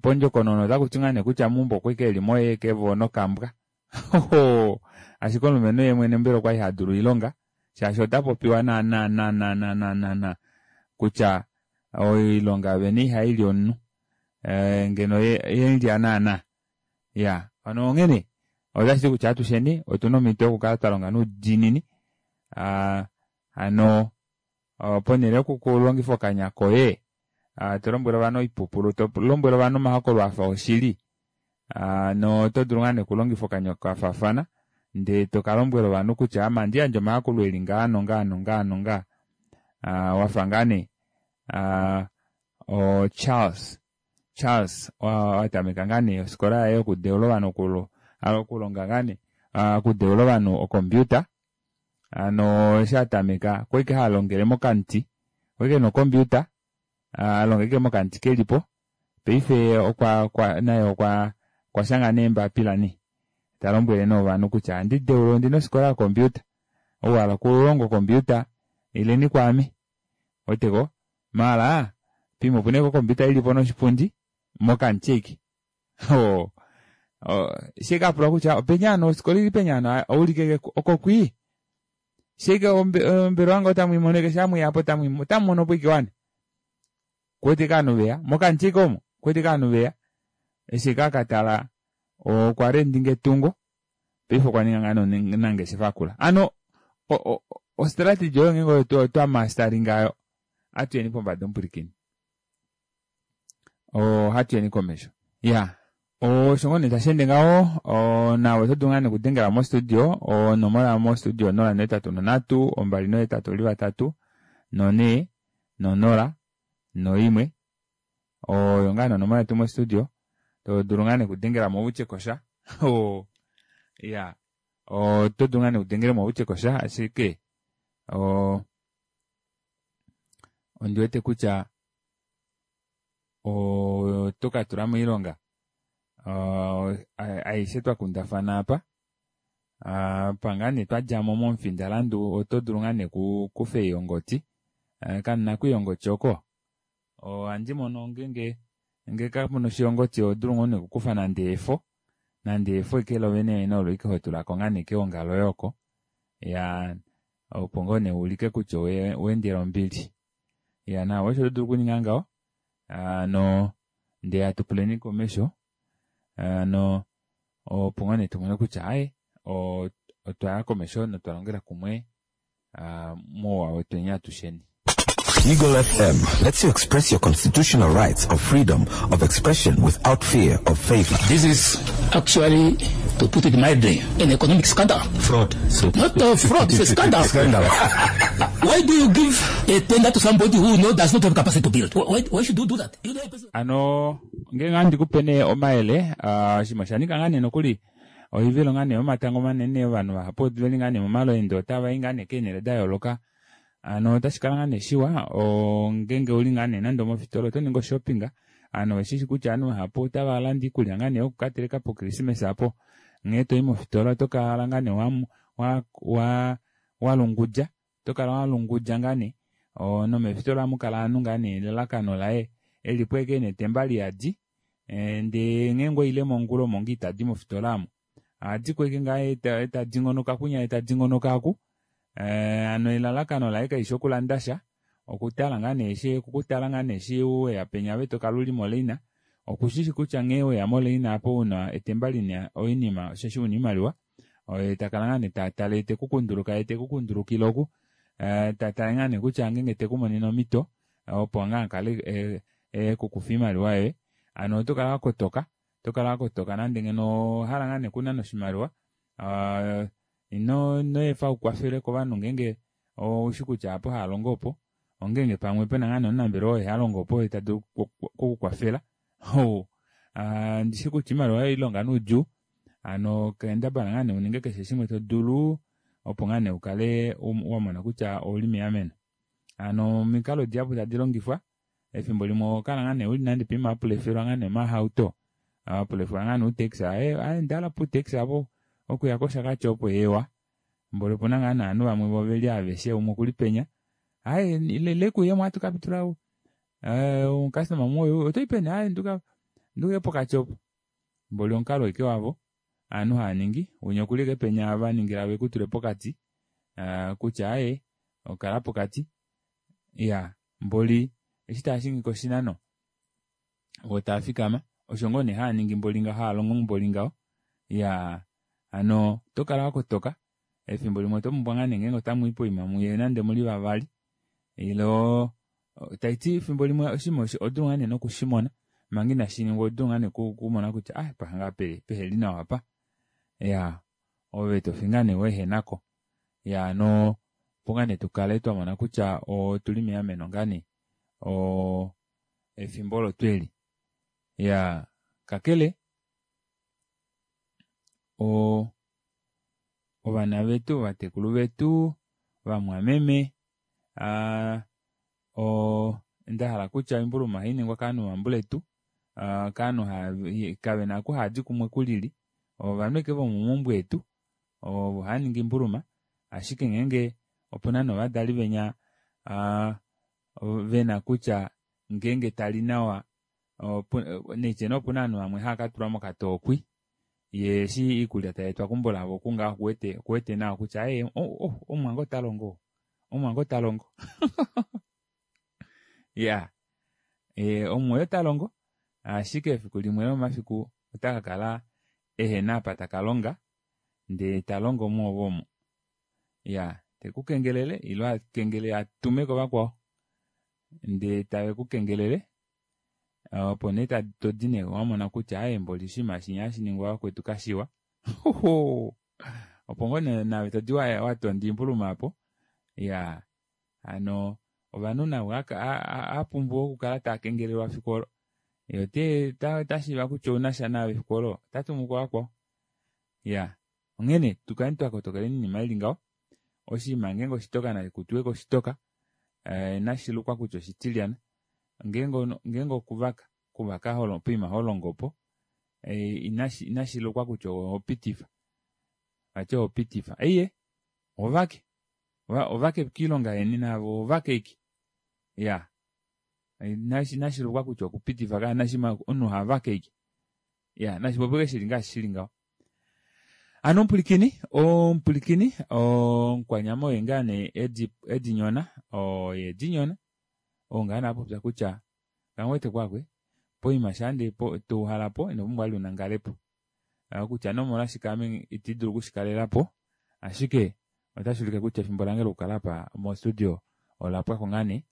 pondjokonono otakuti ngaa nee kutya mumbo okwali eli moye kevo nokambwa ashike omulumenhu ye mwene mbela okwali hadulu oilonga shaashi ota popiwa naana naana naana naana kutya oilonga veni ihaili omunhu ngeno yelya naana ya ano onghene otashi ti kutya atusheni otuna omhito yokukala twalonga noudiinini ano ponhele yokukulongifa okanya koye to lombwele ovanhu oipupulu to lombwele ovanhu omahokololo afa oshili no oto dulu ngaa nee okulongifa okanya kafaafana ndee tokalombwela ovanhu kutya ama andi yandje omayakulo eli ngaa nongaa nongaa nongaa wafa ngaa nee o Charles Charles watameka ngaa nee ofikola yaye yokudeula ovanhu okulonga ngaa nee okudeula ovanhu okompiuta ano eshi atameka okwali ike halongele mokamuti okwali ena okompiuta alonga ike mokamuti kelipo paife okwa okwa naye okwa okwashanga nee eembapila nee talombwele nee ovanhu kutya ohandi deula ondina ofikola yokompiuta ou wahala okulonga okompiuta ileni kwaame weteko maala pimwe opuna ashike okompiuta ilipo noshipundi mokamuti ashike eshi ashike apulwa kutya openi hano ofikola ili peni hano oulike okokwii shike ombelewa wange otamwiimono ike shamwiyapo otamumonopo ike wane kuwete ike ovanhu veya mokamuti ike omo kuwete ike ovanhu veya eshi kakatala okwa rendinga etungo paife okwa ninga ngaa omunangeshefa akula ano ostrategy oyo ngeenge twamastaringa ayo atuyeni pombada omupwilikini ohatuyeni komesho ya osho ngoo nee tasheende ngaho nawe oto dulu ngaa nee okudengela mostudio onomola mostudio onola nohetatu nonhatu ombali nohetatu oli vatatu nonhee nonola noimwe oyo ngaa nee onomola yetu mostudio to dulu ngaa nee okudengelamo utye kosha ya oto dulu ngaa nee okudengelamo utye kosha ashike ondiwete kutya oto katula moilonga aishe twakundafana apa apa ngaa nee twadjamo momufindalandu oto dulu ngaa nee kukufa eengodi kanuna kwiiyongoti oko Ohandi mono ngeenge ngee kapuna oshilongoti ohodulu ngoo nee okukufa nande efo nande efo eke lovene vene olo ike hotulako ngaa nee keonga loye oko ya opo ngoo nee uulike kutya oweendela ombili. Ya nawa osho todulu okuninga ngaho hano ndee hatu puleni komesho hano opo ngoo nee tumone kutya aaye otwaya komesho notwa longela kumwe mouwa wetweni atusheni. Eagle F M lets you express your constitutional rights of freedom of expression without fear of favor. This is actually, to put it mildly, an economic scandal. Fraud. So Not a fraud, it's a scandal. Scandal. Why do you give a tender to somebody who no, does not have capacity to build? Why, why should you do that? You know, a person... Ano, ngeenge handi kupe nee omayele, oshinima osha ninga ngaa nee nokuli oivilo ngaa nee yomatango manene ovanhu vahapu veli ngaa nee momalweendo otava i ngaa nee keenhele da yooloka. Ano otashi kala ngaa nee shiwa ngeenge uli ngaa nee nande omofitola oto ningi oshopping, ano oshishi kutya ovanhu vahapu otava landa iikulya ngaa nee yokukateleka pokrismesa apo. Nghee toi mofitola oto kala ngaa nee wa, wa, wa lungudja, oto kala wa lungudja ngaa nee. Nomefitola ohamu kala ovanhu ngaa nee elalakano laye elipo eke netemba liyadi, ndee ngeenge oile mongula omo ngoo itadi mofitola omo. Ohadi kweke ngaa etadingonoka kunya etadingonoka aku. Ano elalakano laye kaishi okulanda sha, okutala ngaa nee eshi, okukutala ngaa nee eshi weya penya ove tokala uli moleina, okushishi kutya nghee weya moleina apo una etemba lina oinima osheshi una oimaliwa, oye takala ngaa nee tatale tekukunduluka ye tekukundulukile oku, tatale ngaa nee kutya ngeenge tekumonene omhito opo ngaa akale ekukufa oimaliwa yoye. Ano oto kala wakotoka, oto kala wakotoka nande ngeno ohala ngaa nee kunana oshimaliwa, ino ino efa ukwafele kovanhu ngeenge oushi kutya apo halongo opo, ongeenge pamwe pena ngaa nee omunambelewa oye halongo opo ta dulu okukwafela. Ndishi kutya oimaliwa yoye ilonga nuudjuu, ano kendabala ngaa nee uninge keshe shimwe to dulu opo ngaa nee ukale wamona kutya ouli meameno. Ano omikalo dihapu tadi longifwa, efimbo limwe okala ngaa nee uli nande pima apulefelwa ngaa nee omahauto, apulefelwa ngaa nee utaxi, aye aye ndala putaxi apo okuya kOshakati opo ewa. Mboli opuna ngaa nee ovanhu vamwe vo veli aveshe umwe okuli penya, aye ile kuyemo ohatu kapitula omukastoma umwe otoyi peni, aye nduka nduke pokati opo. Mboli omukalo eke wavo ovanhu hava ningi, winya okuli eke penya vaningila vekutule pokati, kutya aye okala pokati. Ya mboli eshi taashingi koshinano vo taafikama osho ngoo nee haaningi mboli ngaho, haalongo mboli ngaho. Ya hano oto kala wakotoka efimbo limwe oto pumbwa ngaa nee ngeenge otamu i poima muye nande muli vavali, ilo taiti efimbo limwe oshinima odulu ngaa nee nokushimona manga inashi ningwa, odulu ngaa nee kumona kutya ah pahanga peheli nawa apa. Ya ove tofi ngaa nee weehenako. Ya hano opo ngaa nee tukale twamona kutya otuli meameno ngaa nee efimbo olo tweli. Ya kakele o ovana vetu, ovatekulu vetu, vamwameme, o ndahala kutya oimbuluma ohai ningwa kovanhu vambuletu, kovanhu kavena oku haadi kumwe kulili, ovanhu eke vomomaumbo etu ovo hava ningi imbuluma, ashike ngeenge opuna novadali venya vena kutya ngeenge tali nawa, neitye nee opuna ovanhu vamwe hava katulwa mokatookwi, ye eshi iikulya tayeetwa keumbo lavo kungaho okuwete okuwete nawa kutya aye omumwange ota longo, omumwange ota longo. Ya omumwoye ota longo, ashike efiku limwe lomafiku ota kakala ehena apa taka longa, ndee ta longo mwoove omo. Ya tekukengelele ilo akengelele atume kovakwao ndee tave kukengelele, opo nee todi nee wamona kutya aye mboli oshinima shinya hashi ningwa vakwetu kashiwa. Opo ngoo nee naave todi watonda imbuluma apo. Ya hano ovanhu navo apumbwa okukala taakengelelwa fiku olo, ye ote otashiiva kutya ounasha naave fiku olo otatumu kovakwao. Ya onghene tukale twakotokeleni oinima ili ngaho. Oshinima ngeenge oshitoka nashikutuwe koshitoka, nashilukwa kutya oshitilyana, ngeenge ngeenge okuvaka, okuvaka poima holongo opo, inashilukwa kutya ohopitifa, vati ohopitifa, eiye ovake ovake kiilonga yeni navo ovake ike. Ya Nashi nashilukwa kutya okupitifa kaa nashima omunhu havake ike ya nashipopike shili ngaashi shili ngaho. Ano omupulikini omupulikini omukwanyama oye ngaa nee edi edinyona oye edinyona oo ngaa nee apopya kutya kangwete kwakwe poima shaande touhalapo ino pumbwa vali unangalepo kutya nee omolwashike ame itidulu okushikalelapo ashike otashi ulike kutya efimbo lange lokukala apa mo studio olapwako ngaa nee.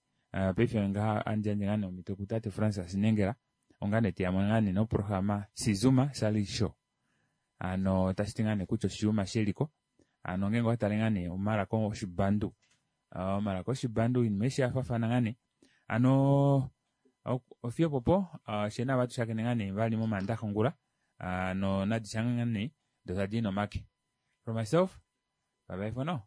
Paife ngaha andi yandje ngaa nee omhito kutate Francis Nengela onga nee teyamo ngaa nee noprograma Sizuma Sali Show. Hano otashi ti ngaa nee kutya oshiyuma sheliko hano ngeenge owatale ngaa nee omalaka oshibandu omalaka oshibandu oinima aishe yafaafana ngaa nee. Hano ofiyo opopo fyee naave atushakene ngaa nee vali momandaxa ongula no nadisha ngaa nee doo tadi nomake. From myself bye bye for now.